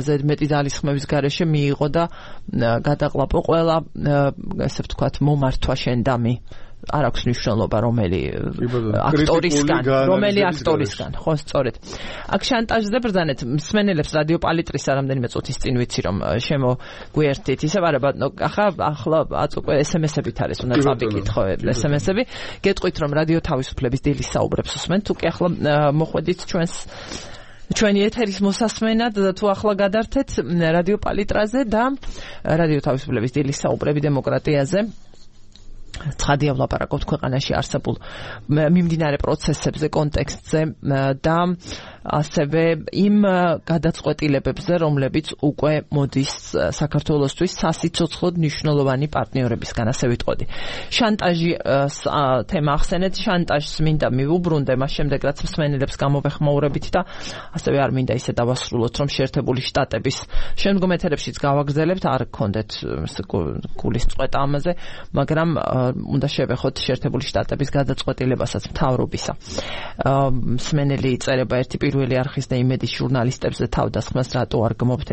S1: ზედმეტი ძალისხმევის გარეშე მიიღო და გადაყლაპო ყველა ესე ვთქვათ მომართვა შენდამი. არ აქვს მნიშვნელობა რომელი აქტორისგან, ხო, სწორედ. აქ შანტაჟზე ბრძანეთ მსმენელებს რადიო პალიტრის რამდენიმე წუთის წინ ვიცი რომ შემოგვიერთით, ისევ არა ბატონო, ახლა აწუყვე SMS-ებით არის, უნდა წავიკით ხო SMS-ები. გეტყვით რომ რადიო თავისუფლების დილის საუბრებს უსმენთ, თუ კი ახლა მოხვედით ჩვენი ეთერის მოსასმენად და თუ ახლა გადართეთ რადიო პალიტრაზე და რადიო თავისუფლების დილის საუბრები დემოკრატიაზე. ცხადია ვლაპარაკობთ ქვეყანაში არსებულ მიმდინარე პროცესებზე, კონტექსტზე და ასევე იმ გადაწყვეტილებებზე, რომლებიც უკვე მოდის საქართველოსთვის სასიცოცხლოდ მნიშვნელოვანი პარტნიორებისგან, ასე ვიტყოდი. შანტაჟი თემა ახსენეთ, შანტაჟს მინდა მივუბრუნდე, მას შემდეგ რაც მსმენელებს გამოვეხმაურებით და ასევე არ მინდა ისე დავასრულოთ, რომ შეერთებული შტატების შემდგომ ეთერებშიც გავაგრძელებთ, არ გქონდეთ გულის წყვეტა ამაზე, მაგრამ უნდა შევეხოთ შეერთებული შტატების გადაწყვეტილებასაც მთავრობისა. მსმენელი იწერება ერთი პირველი არხის და იმედის ჟურნალისტებზე თავდასხმას რატო არ გმობთ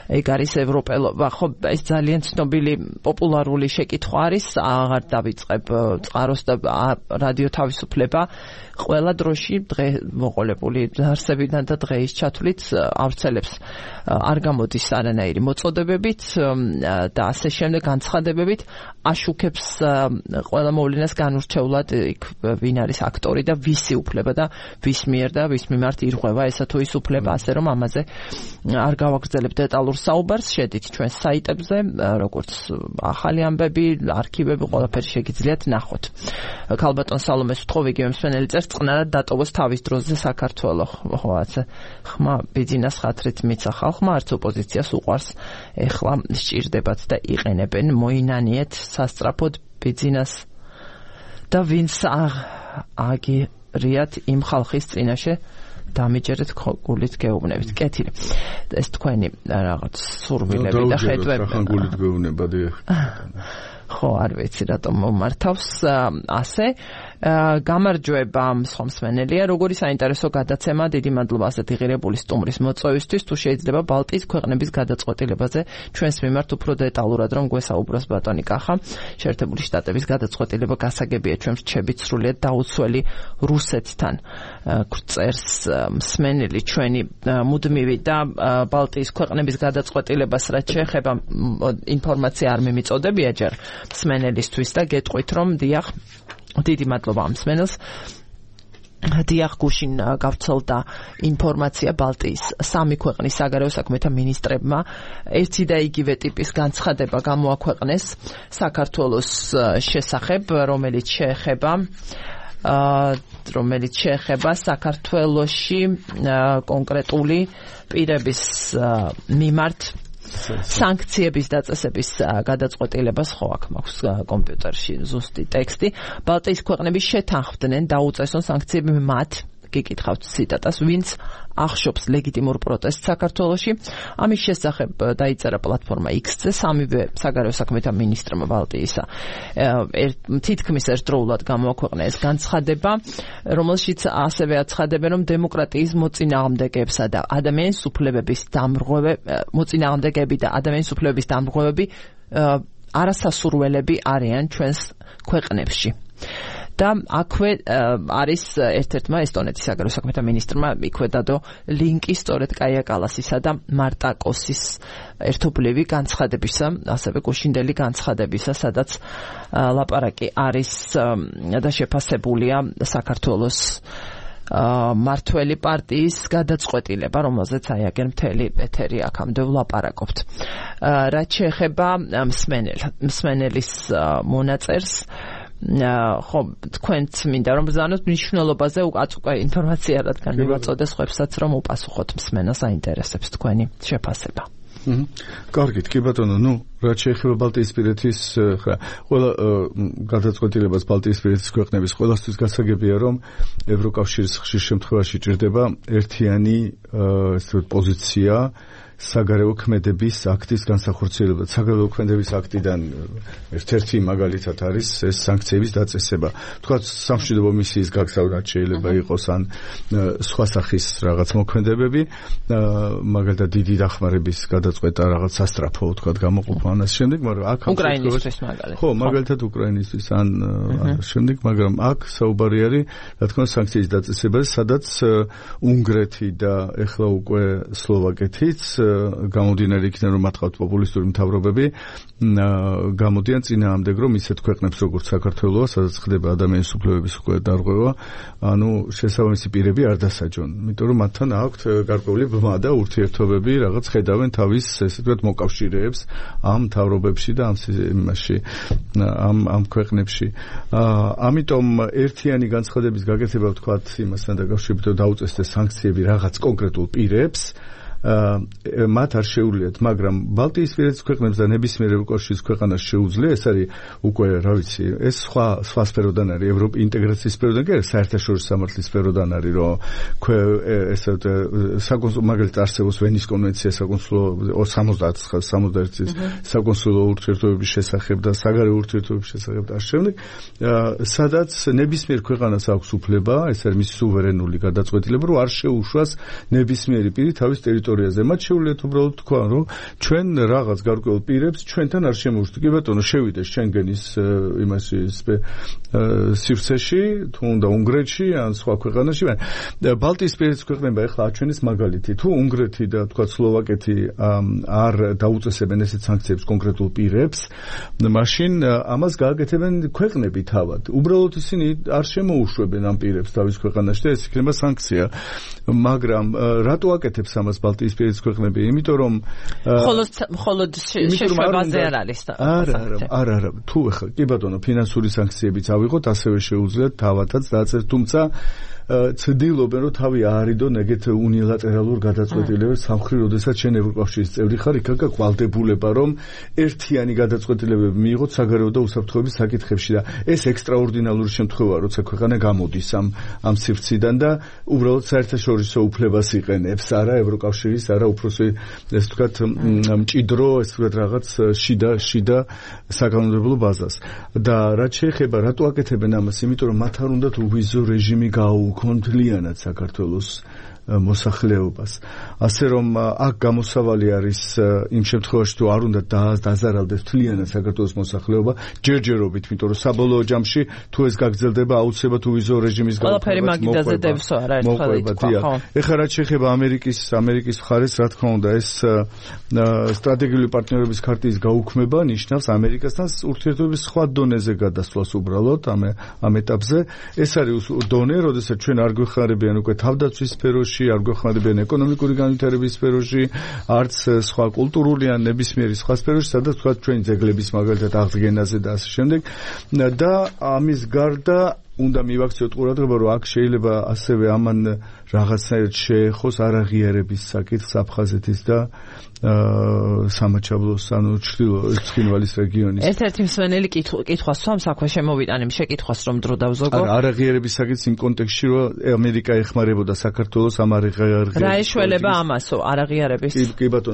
S1: ეგ არის ევროპელობა, ხო, ეს ძალიან ცნობილი პოპულარული შეკითხვა არის, აღარ დავიწყებ წყაროს და რადიო თავისუფლება ყველა დროში დღე მოყოლებული არსებიდან და დღეის ჩათვლით ავრცელებს არ გამოდის არანაირი მოწოდებებით და ასე შემდეგ განცხადებებით აშუქებს ყველა მოვლენას განურჩევლად იქ ვინ არის აქტორი და ვისი უფლება და ვის მიერ და ვის მიმართ ირღვევა ესა თუ ის უფლება, ასე რომ ამაზე არ გავაგრძელებთ დეტალურ საუბარს, შედით ჩვენ საიტებზე, როგორც ახალი ამბები, არქივები, ყველაფერი შეგიძლიათ ნახოთ. ქალბატონ სალომეს ვთხოვ, იგივე მსმენელი წერს, წყნარად დატოვოს თავის დროზე საქართველო. ხო, ასე ხმა ბიძინას ხათრით მიცა ხალხმა, არც ოპოზიციას უყვარს, ეხლა სჭირდებათ და იყენებენ, მოინანიეთ სასწრაფოდ ბიძინას და ვინც აგირიათ იმ ხალხის წინაშე დამიჯერეთ გულით გეუბნებით. კეთილი. ეს თქვენი რაღაც სურვილები და ხედვები.
S2: ხან გულით გეუბნება დიახ.
S1: ხო, არ ვიცი რატომ მომართავს ასე. გამარჯვება მსხმელია, როგორი საინტერესო გადაცემა, დიდი მადლობა ასეთი ღირებული სტუმრის მოწვევისთვის, თუ შეიძლება ბალტიის ქვეყნების გადაწყვეტილებაზე ჩვენს მიმართ უფრო დეტალურად რომ გვესაუბროს ბატონი კახა. შეერთებული შტატების გადაწყვეტილება გასაგებია, ჩვენ რჩებით სრულიად დაუცველი რუსეთთან. წერს მსმენელი ჩვენი მუდმივი და ბალტიის ქვეყნების გადაწყვეტილებას რაც შეეხება ინფორმაცია არ მიმიწოდებია ჯერ მსმენელისთვის და გეტყვით რომ დიახ დიდი მადლობა ამ მსმენელს. დიახ, გუშინ გავრცელდა ინფორმაცია ბალტიის სამი ქვეყნის საგარეო საქმეთა მინისტრებმა ერთი და იგივე ტიპის განცხადება გამოაქვეყნეს საქართველოს შესახებ, რომელიც შეეხება საქართველოში კონკრეტული პირების მიმართ სანქციების დაწესების გადაწყვეტილებას, ხო, აქ მაქვს კომპიუტერში ზუსტი ტექსტი. ბალტიის ქვეყნები შეთანხმდნენ დაუწესონ სანქციები მათ, გიკითხავთ ციტატას, ვინც ახშობს ლეგიტიმურ პროტესტს საქართველოში. ამის შესახებ დაიწერა პლატფორმა X-ზე სამივე საგარეო საქმეთა მინისტრმა ბალტიისა. თითქმის ერთდროულად გამოაქვეყნა ეს განცხადება, რომელშიც ასევე აცხადებენ, რომ დემოკრატიის მოწინააღმდეგეებსა და ადამიანის უფლებების დამრღვევები არასასურველები არიან ჩვენს ქვეყნებში. და აქვე არის ერთ-ერთმა ესტონეთის საგარეო საქმეთა მინისტრმა იქვე დადო ლინკი სწორედ კაია კალასისა და მარტა კოსის ერთობლივი განცხადებისა, ასევე გუშინდელი განცხადებისა, სადაც ლაპარაკი არის და შეფასებულია საქართველოს მართველი პარტიის გადაწყვეტილება, რომელზეც აიაგენ მთელი ეთერი აქამდე ვლაპარაკობთ. რაც შეეხება მსმენელის მონაწერს, ხო, თქვენც მინდა რომ ბრძანოთ მნიშვნელობაზე უკვე ინფორმაცია რადგან მივაწოდეს ხვებსაც რომ უპასუხოთ მსმენელს აინტერესებს თქვენი შეფასება.
S2: კარგით, კი ბატონო, რაც შეეხება ბალტიისპირეთის ყველა გადაწყვეტილებას ბალტიისპირეთის ქვეყნების ყველასთვის გასაგებია რომ ევროკავშირის ხშირ შემთხვევაში ჭირდება ერთიანი პოზიცია საგარეო ქმედების აქტის განსახორციელებლად. საგარეო ქმედების აქტიდან ერთ-ერთი მაგალითად არის ეს სანქციების დაწესება. თქვა სამშვიდობო მისიის გაგზავნად შეიძლება იყოს ან სხვა სახის რაღაც მოქმედებები, მაგალითად დიდი დახმარების გადაწყვეტა რაღაც სასტრაფო თქვა გამოყოფა ან ამ შემდეგ, მაგრამ აქ
S1: უკრაინისთვის მაგალითად.
S2: ხო, მაგალითად უკრაინისთვის ან შემდეგ, მაგრამ აქ საუბარი არის, რა თქმა უნდა, სანქციის დაწესებაზე, სადაც უნგრეთი და ეხლა უკვე სლოვაკეთიც გამოდიანარი იქიდან რომ მათ ყავთ პოპულისტური მთავრობები გამოდიან წინააღმდეგ რომ ისეთ ქვეყნებს როგორც საქართველოა, სადაც ხდება ადამიანის უფლებების უკვე დარღვევა, ანუ შესაბამისი პირები არ დასაჯონ, იმიტომ რომ მათთან აქვთ გარკვეული ბმა და ურთიერთობები, რაღაც ხედავენ თავის ესე ვთქვათ მოკავშირეებს ამ მთავრობებში და ამ ქვეყნებში. ამიტომ ერთიანი განცხადების გაკეთება ვთქვათ იმასთან დაკავშირებით რომ დაუწესდეს სანქციები რაღაც კონკრეტულ პირებს მათ არ შეუძლიათ, მაგრამ ბალტიისპირეთის ქვეყნებს და ნებისმიერ ევროკავშირის ქვეყანას შეუძლია, ეს არის უკვე, რა ვიცი, ეს სხვა სფეროდან არის, ევროპის ინტეგრაციის სფეროდან კი არა, საერთაშორისო სამართლის სფეროდან არის, რომ ესე მაგალითად არსებობს ვენის კონვენცია საკონსულო 71 წლის საკონსულო ურთიერთობების შესახებ და საგარეო ურთიერთობების შესახებ და შემდეგ, სადაც ნებისმიერ ქვეყანას აქვს უფლება, ეს არის მისი სუვერენული გადაწყვეტილება, რომ არ შეუშვას ნებისმიერი პირი თავის ტერიტორიაზე ტერიტორიაზე. მათ შეუძლიათ უბრალოდ თქვა, რომ ჩვენ რაღაც გარკვეულ პირებს ჩვენთან არ შემოუშვით. კი ბატონო, შევიდეს შენგენის იმაში სივრცეში, თუ უნდა უნგრეთში ან სხვა ქვეყანაში. ბალტიისპირეთის ქვეყნებმა ეხლა აჩვენეს მაგალითი. თუ უნგრეთი და თქვა სლოვაკეთი არ დაუწესებენ ესეთ სანქციებს კონკრეტულ პირებს, მაშინ ამას გააკეთებენ ქვეყნები თავად. უბრალოდ ისინი არ შემოუშვებენ ამ პირებს თავის ქვეყანაში და ეს იქნება სანქცია. მაგრამ რატო აკეთებს ამას ბალტიისპირეთის ქვეყნები? იმიტომ რომ
S1: მხოლოდ შეშვებაზე არ არის.
S2: არა. თუ ეხლა კი ბატონო, ფინანსური სანქციებიც ავიღოთ, ასევე შეუძლიათ თავადაც დააწერთ, თუმცა ცდილობენ რომ თავი აარიდონ ეგეთ უნილატერალურ გადაწყვეტილებებს სამხრივ, როდესაც შენ ევროკავშირის წევრი ხარ, იქ აქვს ვალდებულება რომ ერთიანი გადაწყვეტილებები მიიღოთ საგარეო და უსაფრთხოების საკითხებში და ეს ექსტრაორდინალური შემთხვევაა, როცა ქვეყანა გამოდის ამ სივრციდან და უბრალოდ საერთაშორისო უფლებას იყენებს, არა ევროკავშირის, არა უფროსი, ეს ვთქვათ, მჭიდრო, ეს ვთქვათ, რაღაც შიდა საკანონმდებლო ბაზას. და რაც შეეხება რატო აკეთებენ ამას? იმიტომ რომ მათ არ უნდათ ვიზო რეჟიმი კონთლიანად საქართველოს მოსახლეობას. ასე რომ აქ გამოსავალი არის იმ შემთხვევაში თუ არ უნდა დაზარალდეს მთლიანად საქართველოს მოსახლეობა ჯერჯერობით, იმიტომ რომ საბოლოო ჯამში თუ ეს გაგრძელდება აუცილებლად ვიზო რეჟიმის
S1: ყველაფერი მაგიდაზე დევსო არა ერთხელ ითქვა.
S2: ეხლა რაც შეეხება ამერიკის მხარეს, რა თქმა უნდა, ეს სტრატეგიული პარტნიორობის ქარტიის გაუქმება ნიშნავს ამერიკასთან ურთიერთობების სხვა დონეზე გადასვლას უბრალოდ ამ ეტაპზე. ეს არის დონე, როდესაც ჩვენ არ გვეხმარებიან უკვე თავდაცვის სფეროში, არ გვეხმარებიან ეკონომიკური განვითარების სფეროში, არც სხვა კულტურული ან ნებისმიერი სხვა სფეროში, სადაც თქვა ჩვენი ძეგლების მაგალითად აღდგენაზე და ასე შემდეგ. და ამის გარდა უნდა მივაქციოთ ყურადღება, რომ აქ შეიძლება ასევე ამან რაღაცნაირად შეეხოს არაღიარების საკითხს აფხაზეთის და სამაჩაბლოს, ანუ ცხინვალის რეგიონის.
S1: ერთ-ერთი მსმენელი კითხვას სვამს, აქვე შემოვიტანեմ შეკითხვას, რომ დრო დავზოგო.
S2: არაღიარების საკითხს იმ კონტექსტში, რომ ამერიკა ეხმარებოდა საქართველოს ამ არაღიარების.
S1: რა ეშველება ამასო, არაღიარების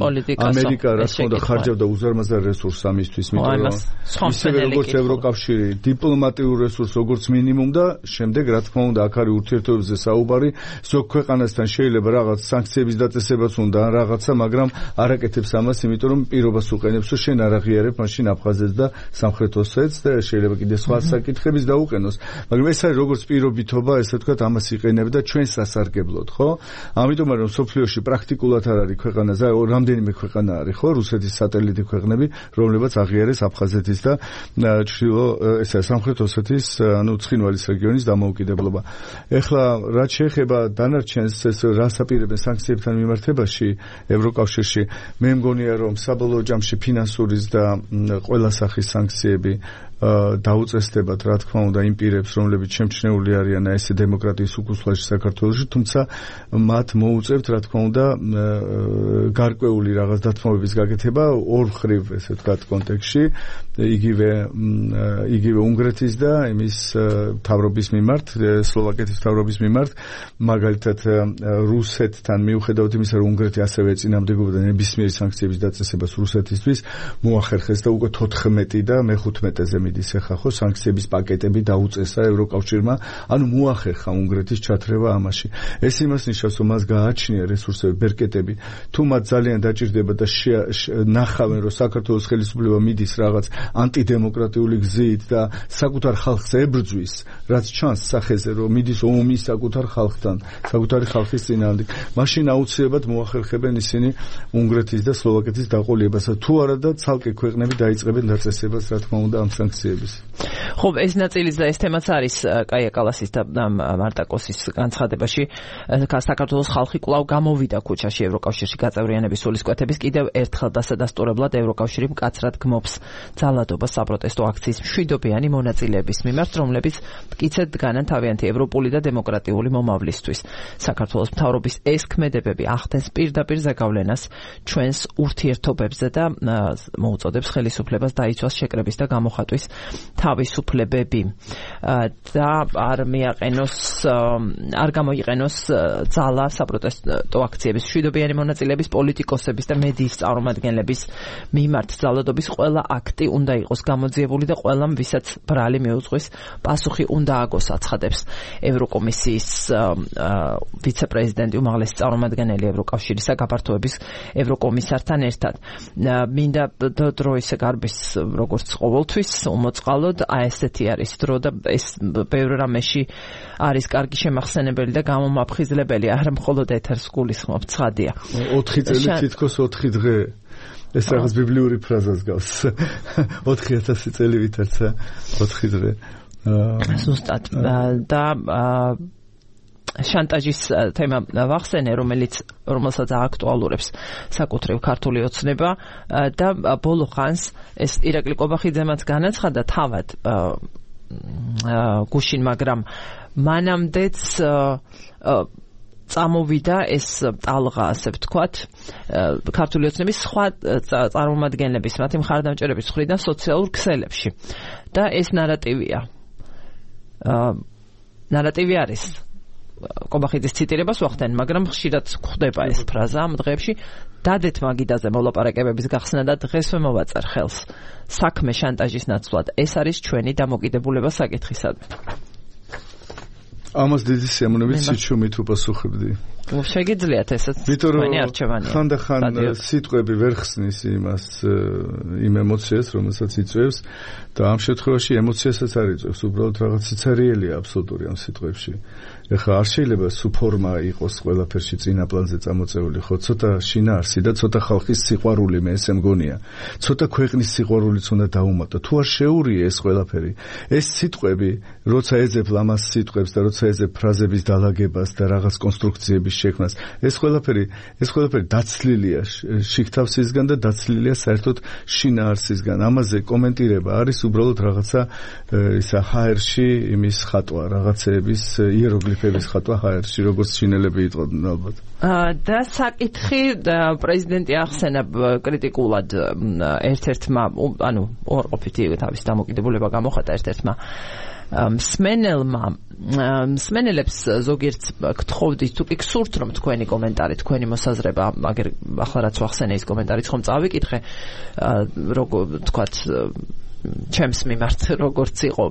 S1: პოლიტიკასო?
S2: ამერიკა რა თქმა უნდა ხარჯავდა უზარმაზარ რესურსს ამისთვის, იმიტომ რომ ისევე როგორც ევროკავშირი დიპლომატიურ რესურსს როგორც მინიმუმ და შემდეგ რა თქმა უნდა აქ არის ურთიერთობებზე საუბარი, ზოგ ქვეყანასთან შეიძლება რაღაც სანქციების დაწესებაც უნდა ან რაღაცა, მაგრამ არაკეთებს ამას, იმიტომ რომ პირობას უყენებს, რომ შენ არ აღიარებ მაშინ აფხაზეთს და სამხრეთ ოსეთს და შეიძლება კიდე სხვა საკითხების დაუყენოს. მაგრამ ეს არის როგორც პირობითობა, ესე ვთქვათ, ამას იყენებდა ჩვენს სასარგებლოდ, ხო? ამიტომ რომ სოფლიოში პრაქტიკულად არ არის ქვეყანა, რამდენიმე ქვეყანა არის, ხო? რუსეთის სატელიტი ქვეყნები, რომლებიც აღიარეს აფხაზეთის და სამხრეთ ოსეთის, ანუ ცხინვალის რეგიონის დამოუკიდებლობა. ეხლა რაც შეეხება დანარჩენს, ეს რას აპირებენ სანქციებთან მიმართებაში ევროკავშირში, მე მგონია რომ საბოლოო ჯამში ფინანსურის და ყველა სახის სანქციები დაუწესდებათ, რა თქმა უნდა, იმ პირებს, რომლებიც შემჩნეული არიან ესე დემოკრატიის უკუსლაში საქართველოში, თუმცა მათ მოუწევთ, რა თქმა უნდა, გარკვეული რაღაც დათმობების გაკეთება ორ მხრივ, ესე ვთქვათ, კონტექსტში, იგივე უნგრეთის და იმის მთავრობის მიმართ, სლოვაკეთის მთავრობის მიმართ, მაგალითად რუსეთთან მიუხედავად იმისა, რომ უნგრეთი ასევე ეწინააღმდეგებოდა ნებისმიერი სანქციების დაწესებას რუსეთისთვის, მოახერხეს და უკვე 14 და მე-15-ზე მიდის ახლა ხო სანქციების პაკეტები დაუწესა ევროკავშირმა, ანუ მოახერხა უნგრეთის ჩათრევა ამაში. ეს იმას ნიშნავს, რომ მას გააჩნია რესურსები, ბერკეტები, თუ მათ ძალიან დაჭირდება და ნახავენ, რომ საქართველოს ხელისუფლება მიდის რაღაც ანტიდემოკრატიული გზით და საკუთარ ხალხს ებრძვის, რაც ჩანს სახეზე, რომ მიდის ომი საკუთარ ხალხთან, საკუთარი ხალხის წინააღმდეგ, მაშინ აუცილებლად მოახერხებენ ისინი უნგრეთის და სლოვაკეთის დაყოლიებას. თუ არა და ცალკე ქვეყნები დაიწყებენ დაწესებას, რა თქმა უნდა, ამ სანქციების.
S1: ხო, ეს ნაწილიც და ეს თემაც არის კაია კალასის და მარტაკოსის განცხადებაში. საქართველოს ხალხი კვლავ გამოვიდა ქუჩაში ევროკავშირში გაწევრიანების სულისკვეთების კიდევ ერთხელ დასადასტურებლად ევროკავშირი მკაცრად გმობს ძალადობას საპროტესტო აქციის მშვიდობიანი მონაწილეების მიმართ, რომლებიც მტკიცედ დგანან თავიანთი ევროპული და დემოკრატიული მომავლისთვის. საქართველოს მთავრობის ეს ქმედებები ახდენს პირდაპირ ზეგავლენას ჩვენს ურთიერთობებზე და მოუწოდებს ხელისუფლებას დაიცვას შეკრების და გამოხატვის თავისუფლებები და არ გამოიყენოს ძალა საპროტესტო აქციების მშვიდობიანი მონაწილეების პოლიტიკოსების და მედიის წარმომადგენლების მიმართ ძალადობის ყველა აქტი უნდა იყოს გამოძიებული და ყველამ ვისაც ბრალი მიუძღვის პასუხი უნდა აგოს აცხადებს ევროკომისიის ვიცე-პრეზიდენტი უმაღლესი წარმომადგენელი ევროკავშირის გაფართოების ევროკომისართან ერთად. მინდა დროის გარბის როგორც ყოველთვის უმოწყალოდ ესეთი არის დრო და ეს ბევრ რამეში არის კარგი შემახსენებელი და გამომაფხიზლებელი, არა მხოლოდ ეთერს გულისხმობ ცხადია.
S2: 4 წელი თითქოს 4 დღე ეს რაღაც ბიბლიური ფრაზას გავს. 4000 წელი ვითარცა 4 დღე.
S1: ზუსტად და შანტაჟის თემა ვახსენე, რომელსაც აქტუალურებს საკუთრივ ქართული ოცნება და ბოლო ხანს ეს ირაკლი კობახიძემაც განაცხადა თავად გუშინ, მაგრამ მანამდეც წამოვიდა ეს ტალღა, ასე ვთქვათ, ქართული ოცნების სხვა წარმომადგენლების, მათი მხარდამჭერების მხრიდან სოციალურ ქსელებში. და ეს ნარატივია. ნარატივი არის. კობახიძის ციტირებას ვახდენ, მაგრამ ხშირად გვხდება ეს ფრაზა ამ დღეებში. დადეთ მაგიდაზე მოლაპარაკებების გახსნა და დღესვე მოვაწერ ხელს. საქმე შანტაჟის ნაცვლად. ეს არის ჩვენი დამოკიდებულება საკითხისადმი.
S2: ამას დიდი სიამოვნებით სიჩუმით უპასუხებდი.
S1: შეგიძლიათ ესეც თქვენი არჩევანია.
S2: ხანდახან სიტყვები ვერ ხსნის იმ ემოციას, რომელსაც იწვევს და ამ შემთხვევაში ემოციასაც არ იწვევს, უბრალოდ რაღაც სიცარიელია აბსოლუტური ამ სიტყვებში. ეხლა არ შეიძლება სუ ფორმა იყოს ყველაფერში წინა პლანზე წამოწეული, ხო, ცოტა შინაარსი და ცოტა ხალხის სიყვარული, მე ესე მგონია. ცოტა ქვეყნის სიყვარულიც უნდა დაუმატო. თუ არ შეურია ეს ყველაფერი, ეს სიტყვები, როცა ეძებ ლამას სიტყვებს და როცა ეძებ ფრაზების დალაგებას და რაღაც კონსტრუქციების შექმნას, ეს ყველაფერი დაცლილია შიგთავსისგან და დაცლილია საერთოდ შინაარსისგან. ამაზე კომენტირება არის უბრალოდ რაღაცა ისა HR-ში იმის ხატვა, რაღაცეების იეროგლიფების ხატვა HR-ში, როგორც ჩინელები იტყოდნენ ალბათ.
S1: და საკითხი პრეზიდენტი ახსენა კრიტიკულად ერთ-ერთმა, ანუ უარყოფითი თავის დამოკიდებულება გამოხატა ერთ-ერთმა მსმენელებს ზოგიერთ გთხოვდით, თუ კი გსურთ რომ თქვენი კომენტარი, თქვენი მოსაზრება, მაგერ ახლა რაც ვახსენე ის კომენტარიც ხომ წავიკითხე, როგორ ვთქვათ, ჩემს მიმართ როგორც იყო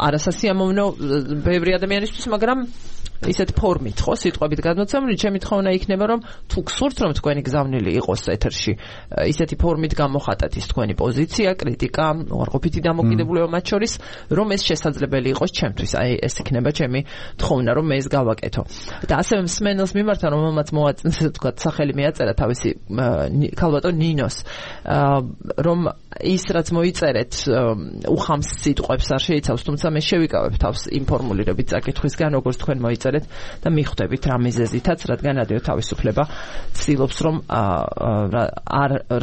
S1: არასასიამოვნო ბევრი ადამიანისთვის, მაგრამ ისეთ ფორმით, ხო, სიტყვებით გადმოცემული, ჩემი თხოვნა იქნება, რომ თუ გსურთ რომ თქვენი გზავნილი იყოს ეთერში, ისეთი ფორმით გამოხატათ ის თქვენი პოზიცია, კრიტიკა, უარყოფითი დამოკიდებულება მათ შორის, რომ ეს შესაძლებელი იყოს ჩემთვის. აი, ეს იქნება ჩემი თხოვნა, რომ მე ეს გავაკეთო. და ასევე მსმენელს მიმართ, რომელმაც თქვათ, სახელი მიაწერა თავისი ქალბატონ ნინოს, რომ ის რაც მოიწერეთ უხამს სიტყვებს არ შეიცავს, თუმცა მე შევიკავებ თავს ინფორმულირებით საკითხვისგან, როგორც თქვენ მოიწერეთ და მიხვდებით რა მიზეზითაც, რადგან რადიო თავისუფლება ცდილობს რომ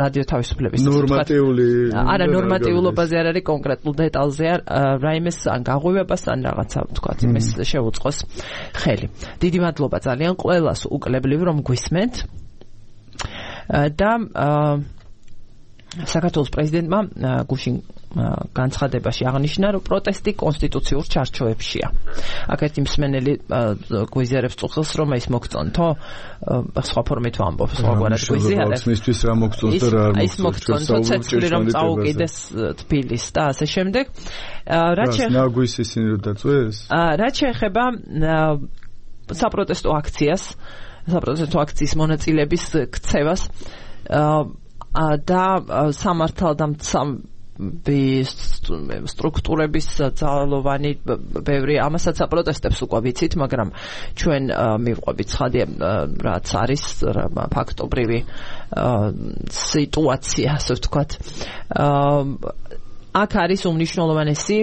S1: რადიო თავისუფლების ნორმატიულობაზე არ არის, კონკრეტულ დეტალზე რაიმეს ან გაღვივებას ან რაღაცა ვთქვათ, იმის შეუწყოს ხელი. დიდი მადლობა ძალიან ყველას უკლებლივ რომ გვისმენთ და საქართველოს პრეზიდენტმა გუშინ განცხადებაში აღნიშნა, რომ პროტესტი კონსტიტუციურ ჩარჩოებშია. აქ ერთი მსმენელი გვიზიარებს წუხელს, რომ ეს მოგწონთო, სხვა ფორმით ვამბობ, სხვაგვარად გვიზიარებს.
S2: მისთვის რა მოგწონს და რა არ მოგწონს.
S1: ის მოგწონთო, ცეცხლი რომ წაუკიდეს თბილის და ასე შემდეგ.
S2: ნაგვის ისინი რომ დაწვეს?
S1: რაც შეეხება საპროტესტო აქციის მონაწილეების ქცევას, და სამართალდამცავი სტრუქტურების ძალოვანი ბევრი ამასაც აპროტესტებს უკვე ვიცით, მაგრამ ჩვენ მივყვებით ცხადია რაც არის ფაქტობრივი სიტუაცია, ასე ვთქვათ. აქ არის უმნიშვნელოვანესი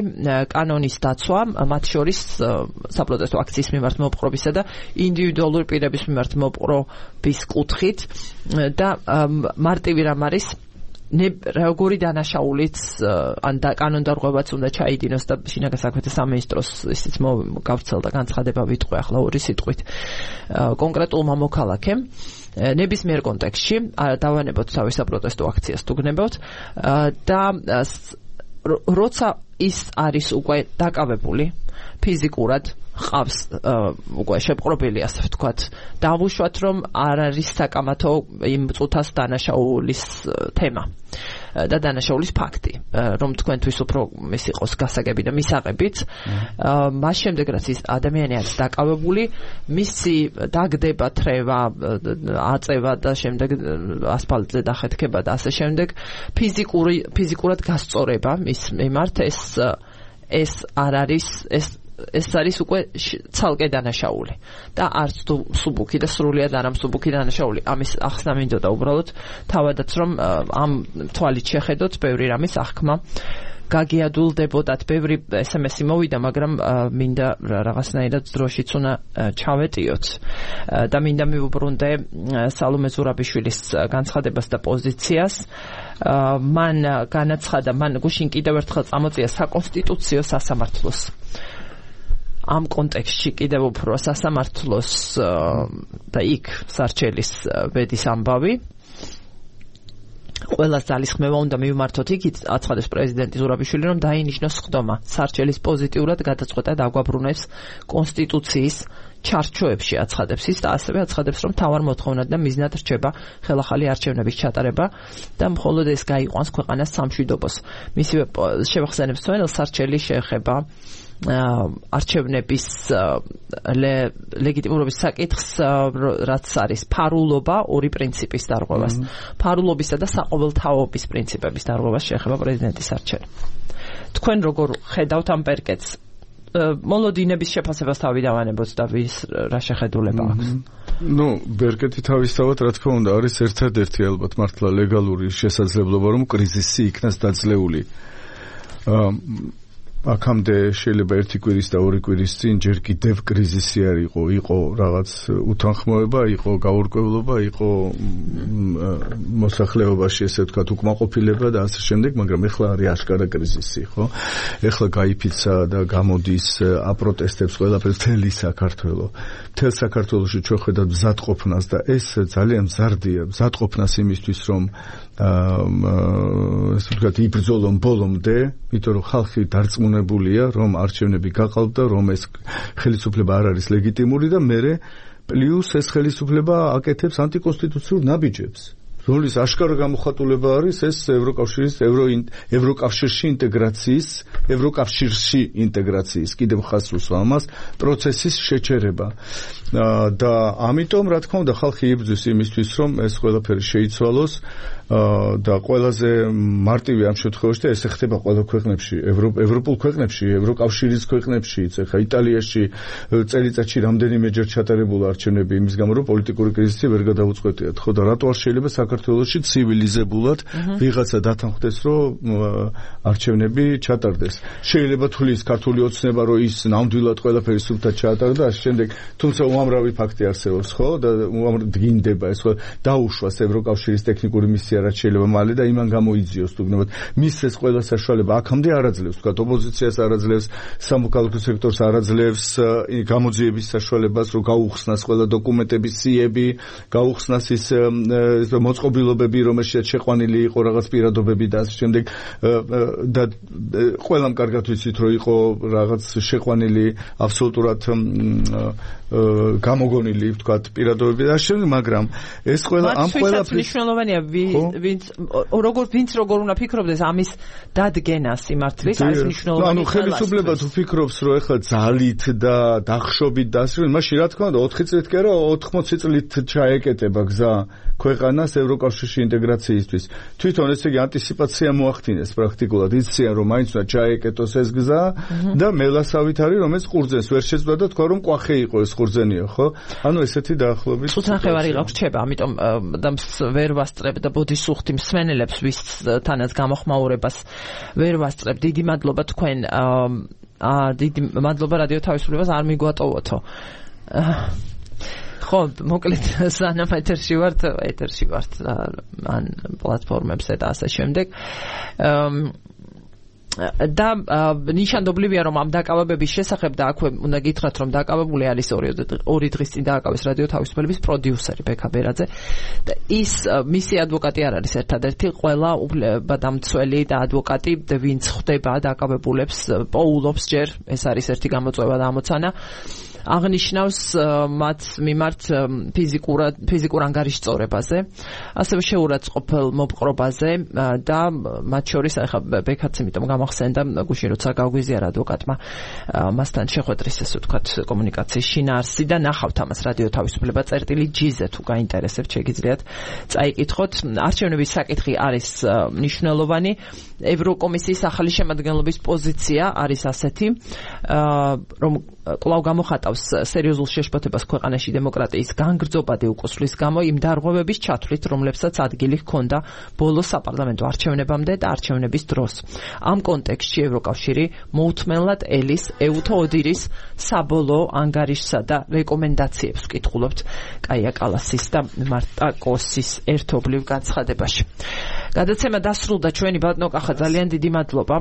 S1: კანონის დაცვა, მათ შორის საპროტესტო აქციის მიმართ მოპყრობისა და ინდივიდუალური პირების მიმართ მოპყრობის კუთხით და მარტივი რამ არის როგორი დანაშაულიც ან კანონდარღვევაც უნდა ჩაიდინოს და შინაგან საქმეთა სამინისტროს ისიც გავცელდა განცხადება ვიტყვე ახლა ორი სიტყვით კონკრეტულმა მოქალაქემ ნებისმიერ კონტექსტში დავანებოთ თავის საპროტესტო აქციას თუ გნებავთ და როცა ის არის უკვე დაკავებული ფიზიკურად ყავს უკვე შეპყრობილი ასე ვთქვათ დავუშვათ რომ არ არის საკამათო იმ წუთას დანაშაულის თემა და დანაშაულის ფაქტი რომ თქვენთვის უფრო ის იყოს გასაგები და მისაღებიც მას შემდეგ რაც ის ადამიანი არის დაკავებული მისი დაგდება თრევა აწევა და შემდეგ ასფალტზე დახეთქება და ასე შემდეგ ფიზიკურად გასწორება მის მიმართ ეს არ არის ეს არის უკვე ცალკე დანაშაული და არც თუ მსუბუქი და სრულიად არ მსუბუქი დანაშაული ამის ახსნა მინდოდა უბრალოდ თავადაც რომ ამ თვალით შეხედოთ ბევრი რამის აღქმა გაგიადულდებოდათ ბევრი SMS-ი მოვიდა მაგრამ მინდა რაღაცნაირად დროშიც უნდა ჩავეტიოთ და მინდა მივუბრუნდე სალომე ზურაბიშვილის განცხადებას და პოზიციას მან განაცხადა მან გუშინ კიდევ ერთხელ წამოწია საკონსტიტუციო სასამართლოს ამ კონტექსტში კიდევ უფრო სასამართლოს და იქ სარჩელის ბედის ამბავი ყველას ძალისხმევა უნდა მივმართოთ იქით აცხადებს პრეზიდენტი ზურაბიშვილი რომ დაინიშნოს ხდომა სარჩელის პოზიტიურად გადაწყვეტა დაგვაბრუნებს კონსტიტუციის ჩარჩოებში აცხადებს ის და ასევე აცხადებს რომ თავარ მოთხოვნად და მიზნად რჩება ხელახალი არჩევნების ჩატარება და მხოლოდ ეს გაიყვანს ქვეყანას სამშვიდობოს მისივე შევახსენებს თვალს სარჩელი შეეხება არჩევნების ლეგიტიმურობის საკითხს რაც არის ფარულობა ორი პრინციპის დარღვევას ფარულობისა და საყოველთაობის პრინციპების დარღვევას შეეხება პრეზიდენტის არჩევანი თქვენ როგორ ხედავთ ამ პერკეტს მოლოდინების შეფასებას თავი დავანებოთ და ვის რა შეხედულება აქვს
S2: ნუ ბერკეტი თავისთავად რა თქმა უნდა არის ერთადერთი ალბათ მართლა ლეგალური შესაძლებლობა რომ კრიზისი იქნას დაძლეული აქამდე შეიძლება ერთი კვირის და ორი კვირის წინ ჯერ კიდევ კრიზისი არ იყო რაღაც უთანხმოება, იყო გაურკვევლობა, იყო მოსახლეობაში ესე ვთქვათ უკმაყოფილება და ასე შემდეგ, მაგრამ ეხლა არის აშკარა კრიზისი, ხო? ეხლა გაიფიცა და გამოდის აპროტესტებს ყველაფერს მთელი საქართველო. მთელ საქართველოში ჩვენ ხედავთ მზადყოფნას და ეს ძალიან მზარდია, მზადყოფნას იმისთვის რომ ასე ვთქვათ იბრძოლონ ბოლომდე, იმიტომ რომ ხალხი დარწმუნებულია, რომ არჩევნები გაყალბდა, რომ ეს ხელისუფლება არ არის ლეგიტიმური და მერე პლუს ეს ხელისუფლება აკეთებს ანტიკონსტიტუციურ ნაბიჯებს. რომლის აშკარა გამოხატულება არის ეს ევროკავშირში ინტეგრაციის კიდევ ხას უსვა ამას პროცესის შეჩერება და ამიტომ რა თქმა უნდა ხალხი იბრძვის იმისთვის რომ ეს ყველაფერი შეიცვალოს და ყველაზე მარტივი ამ შემთხვევაში და ესე ხდება ყველა ქვეყნებში ევროპულ ქვეყნებში ევროკავშირის ქვეყნებში ეხლა იტალიაში წელიწადში რამდენიმეჯერ ჩატარებულა არჩევნები იმის გამო რომ პოლიტიკური კრიზისი ვერ გადაუწყვეტიათ ხო და რატო არ შეიძლება საქართველოში ცივილიზებულად ვიღაცა დათანხმდეს რომ არჩევნები ჩატარდეს შეიძლება თulis ქართული ოცნება რომ ის ნამდვილად ყველაფერი სრულად ჩაატარდა და შემდეგ თუმცა უამრავი ფაქტი არსებობს ხო და დგინდება ეს ხო დაუშვას ევროკავშირის ტექნიკური მისია რაც შეიძლება მალე და იმან გამოიძიოს თუნდაც მის ეს ყველა საშუალება აქამდე არ აძლევს თქვა ოპოზიციას არ აძლევს სამოქალაქო სექტორს არ აძლევს გამოძიების საშუალებას რომ გაუხსნას ყველა დოკუმენტების სიები გაუხსნას ის მოწყობილობები რომელშიც შეყვანილი იყო რაღაც პირადობები და ასე შემდეგ და ყველამ კარგად ვიცით რომ იყო რაღაც შეყვანილი აბსოლუტურად გამოგონილი ვთქვათ პირადობები და ასე შემდეგ მაგრამ ეს ყველა ამ ყველაფრის
S1: მნიშვნელოვანია ვინც როგორ უნდა ფიქრობდეს ამის დადგენას იმართლის არის მნიშვნელოვანი
S2: ანუ ხელისუფლება თუ ფიქრობს რომ ეხლა ძალით და დახშობით და ასე მაშინ რა თქმა უნდა 4 წლით კი არა 80 წლით ჩაეკეტება გზა ქვეყანას ევროკავშირში ინტეგრაციისთვის თვითონ ესე იგი ანტიციპაცია მოახდინეს პრაქტიკულად იციან რომ მაინც უნდა ჩაეკეტოს ეს გზა და მელასავით არის რომ ეს ყურძენს ვერ შეძლო და თქვა რომ კვახე იყო ეს ყურძენია ხო ანუ ესეთი დაახლოებით
S1: წუთნახევარი გავრჩება ამიტომ და ვერ ვასწრებ და ბოდისუხთი მსმენელებს ვისთანაც გამოხმაურებას ვერ ვასწრებ დიდი მადლობა თქვენ დიდი მადლობა რადიო თავისუფლებას არ მიგვატოვოთო ხო მოკლედ სანამ ეთერში ვართ ან პლატფორმებზე და ასე შემდეგ და ნიშანდობლივია რომ ამ დაკავებების შესახებ და აქვე უნდა გითხრათ რომ დაკავებული არის ორი დღის წინ დააკავეს რადიო თავისუფლების პროდიუსერი ბექა ბერაძე და ის მისი ადვოკატი არ არის ერთადერთი ყველა უფლებადამცველი და ადვოკატი ვინც ხვდება დაკავებულებს პოულობს ჯერ ეს არის ერთი გამოწვევა და ამოცანა აღნიშნავს მათ მიმართ ფიზიკურ ანგარიშწორებაზე, ასევე შეურაცხყოფელ მოპყრობაზე და მათ შორის ახლა ბექაც იმიტომ გამახსენდა გუშინ როცა გაგვიზიარა ადვოკატმა მასთან შეხვედრის ესე ვთქვათ კომუნიკაციის შინაარსი და ნახავთ ამას რადიო თავისუფლება წერტილი G-ზე თუ გაინტერესებთ შეგიძლიათ წაიკითხოთ. არჩევნების საკითხი არის მნიშვნელოვანი. ევროკომისიის ახალი შემადგენლობის პოზიცია არის ასეთი, რომ კვლავ გამოხატავს სერიოზულ შეშფოთებას ქვეყანაში დემოკრატიის განგრძობადი უკუსვლის გამო იმ დარღვევების ჩათვლით, რომლებსაც ადგილი ჰქონდა ბოლო საპარლამენტო არჩევნებამდე და არჩევნების დროს. ამ კონტექსტში ევროკავშირი მოუთმენლად ელის ეუთო ოდირის საბოლოო ანგარიშსა და რეკომენდაციებს ვკითხულობთ კაია კალასის და მარტა კოსის ერთობლივ განცხადებაში. გადაცემა დასრულდა ჩვენი ბატონო კახა ძალიან დიდი მადლობა.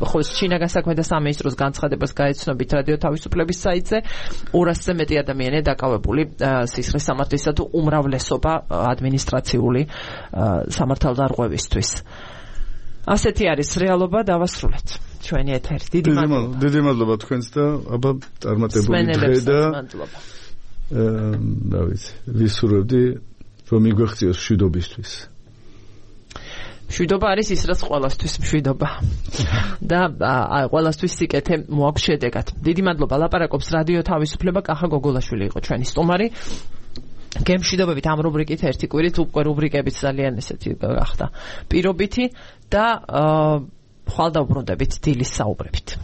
S1: ხო შინაგან საქმეთა სამინისტროს განცხადებას გაეცნობით რადიო თავისუფლების საიტზე 200-ზე მეტი ადამიანი დაკავებული სისხლის სამართლისა თუ უმრავლესობა ადმინისტრაციული სამართალდარღვევისთვის. ასეთი არის რეალობა დავასრულეთ ჩვენი ეთერი.
S2: დიდი მადლობა თქვენს და აბა წარმატებული დღე და რა ვიცი ვისურვებდი რომ მიგვეღწიოს მშვიდობისთვის.
S1: მშვიდობა არის ის რაც ყველასთვის მშვიდობა და ყველასთვის სიკეთე მოაქვს შედეგად. დიდი მადლობა. ლაპარაკობს რადიო თავისუფლება კახა გოგოლაშვილი იყო ჩვენი სტუმარი. გემშვიდობებით ამ რუბრიკით ერთი კვირით უკვე რუბრიკებიც ძალიან ესეთი გახდა პირობითი და ხვალ დავბრუნდებით დილის საუბრებით.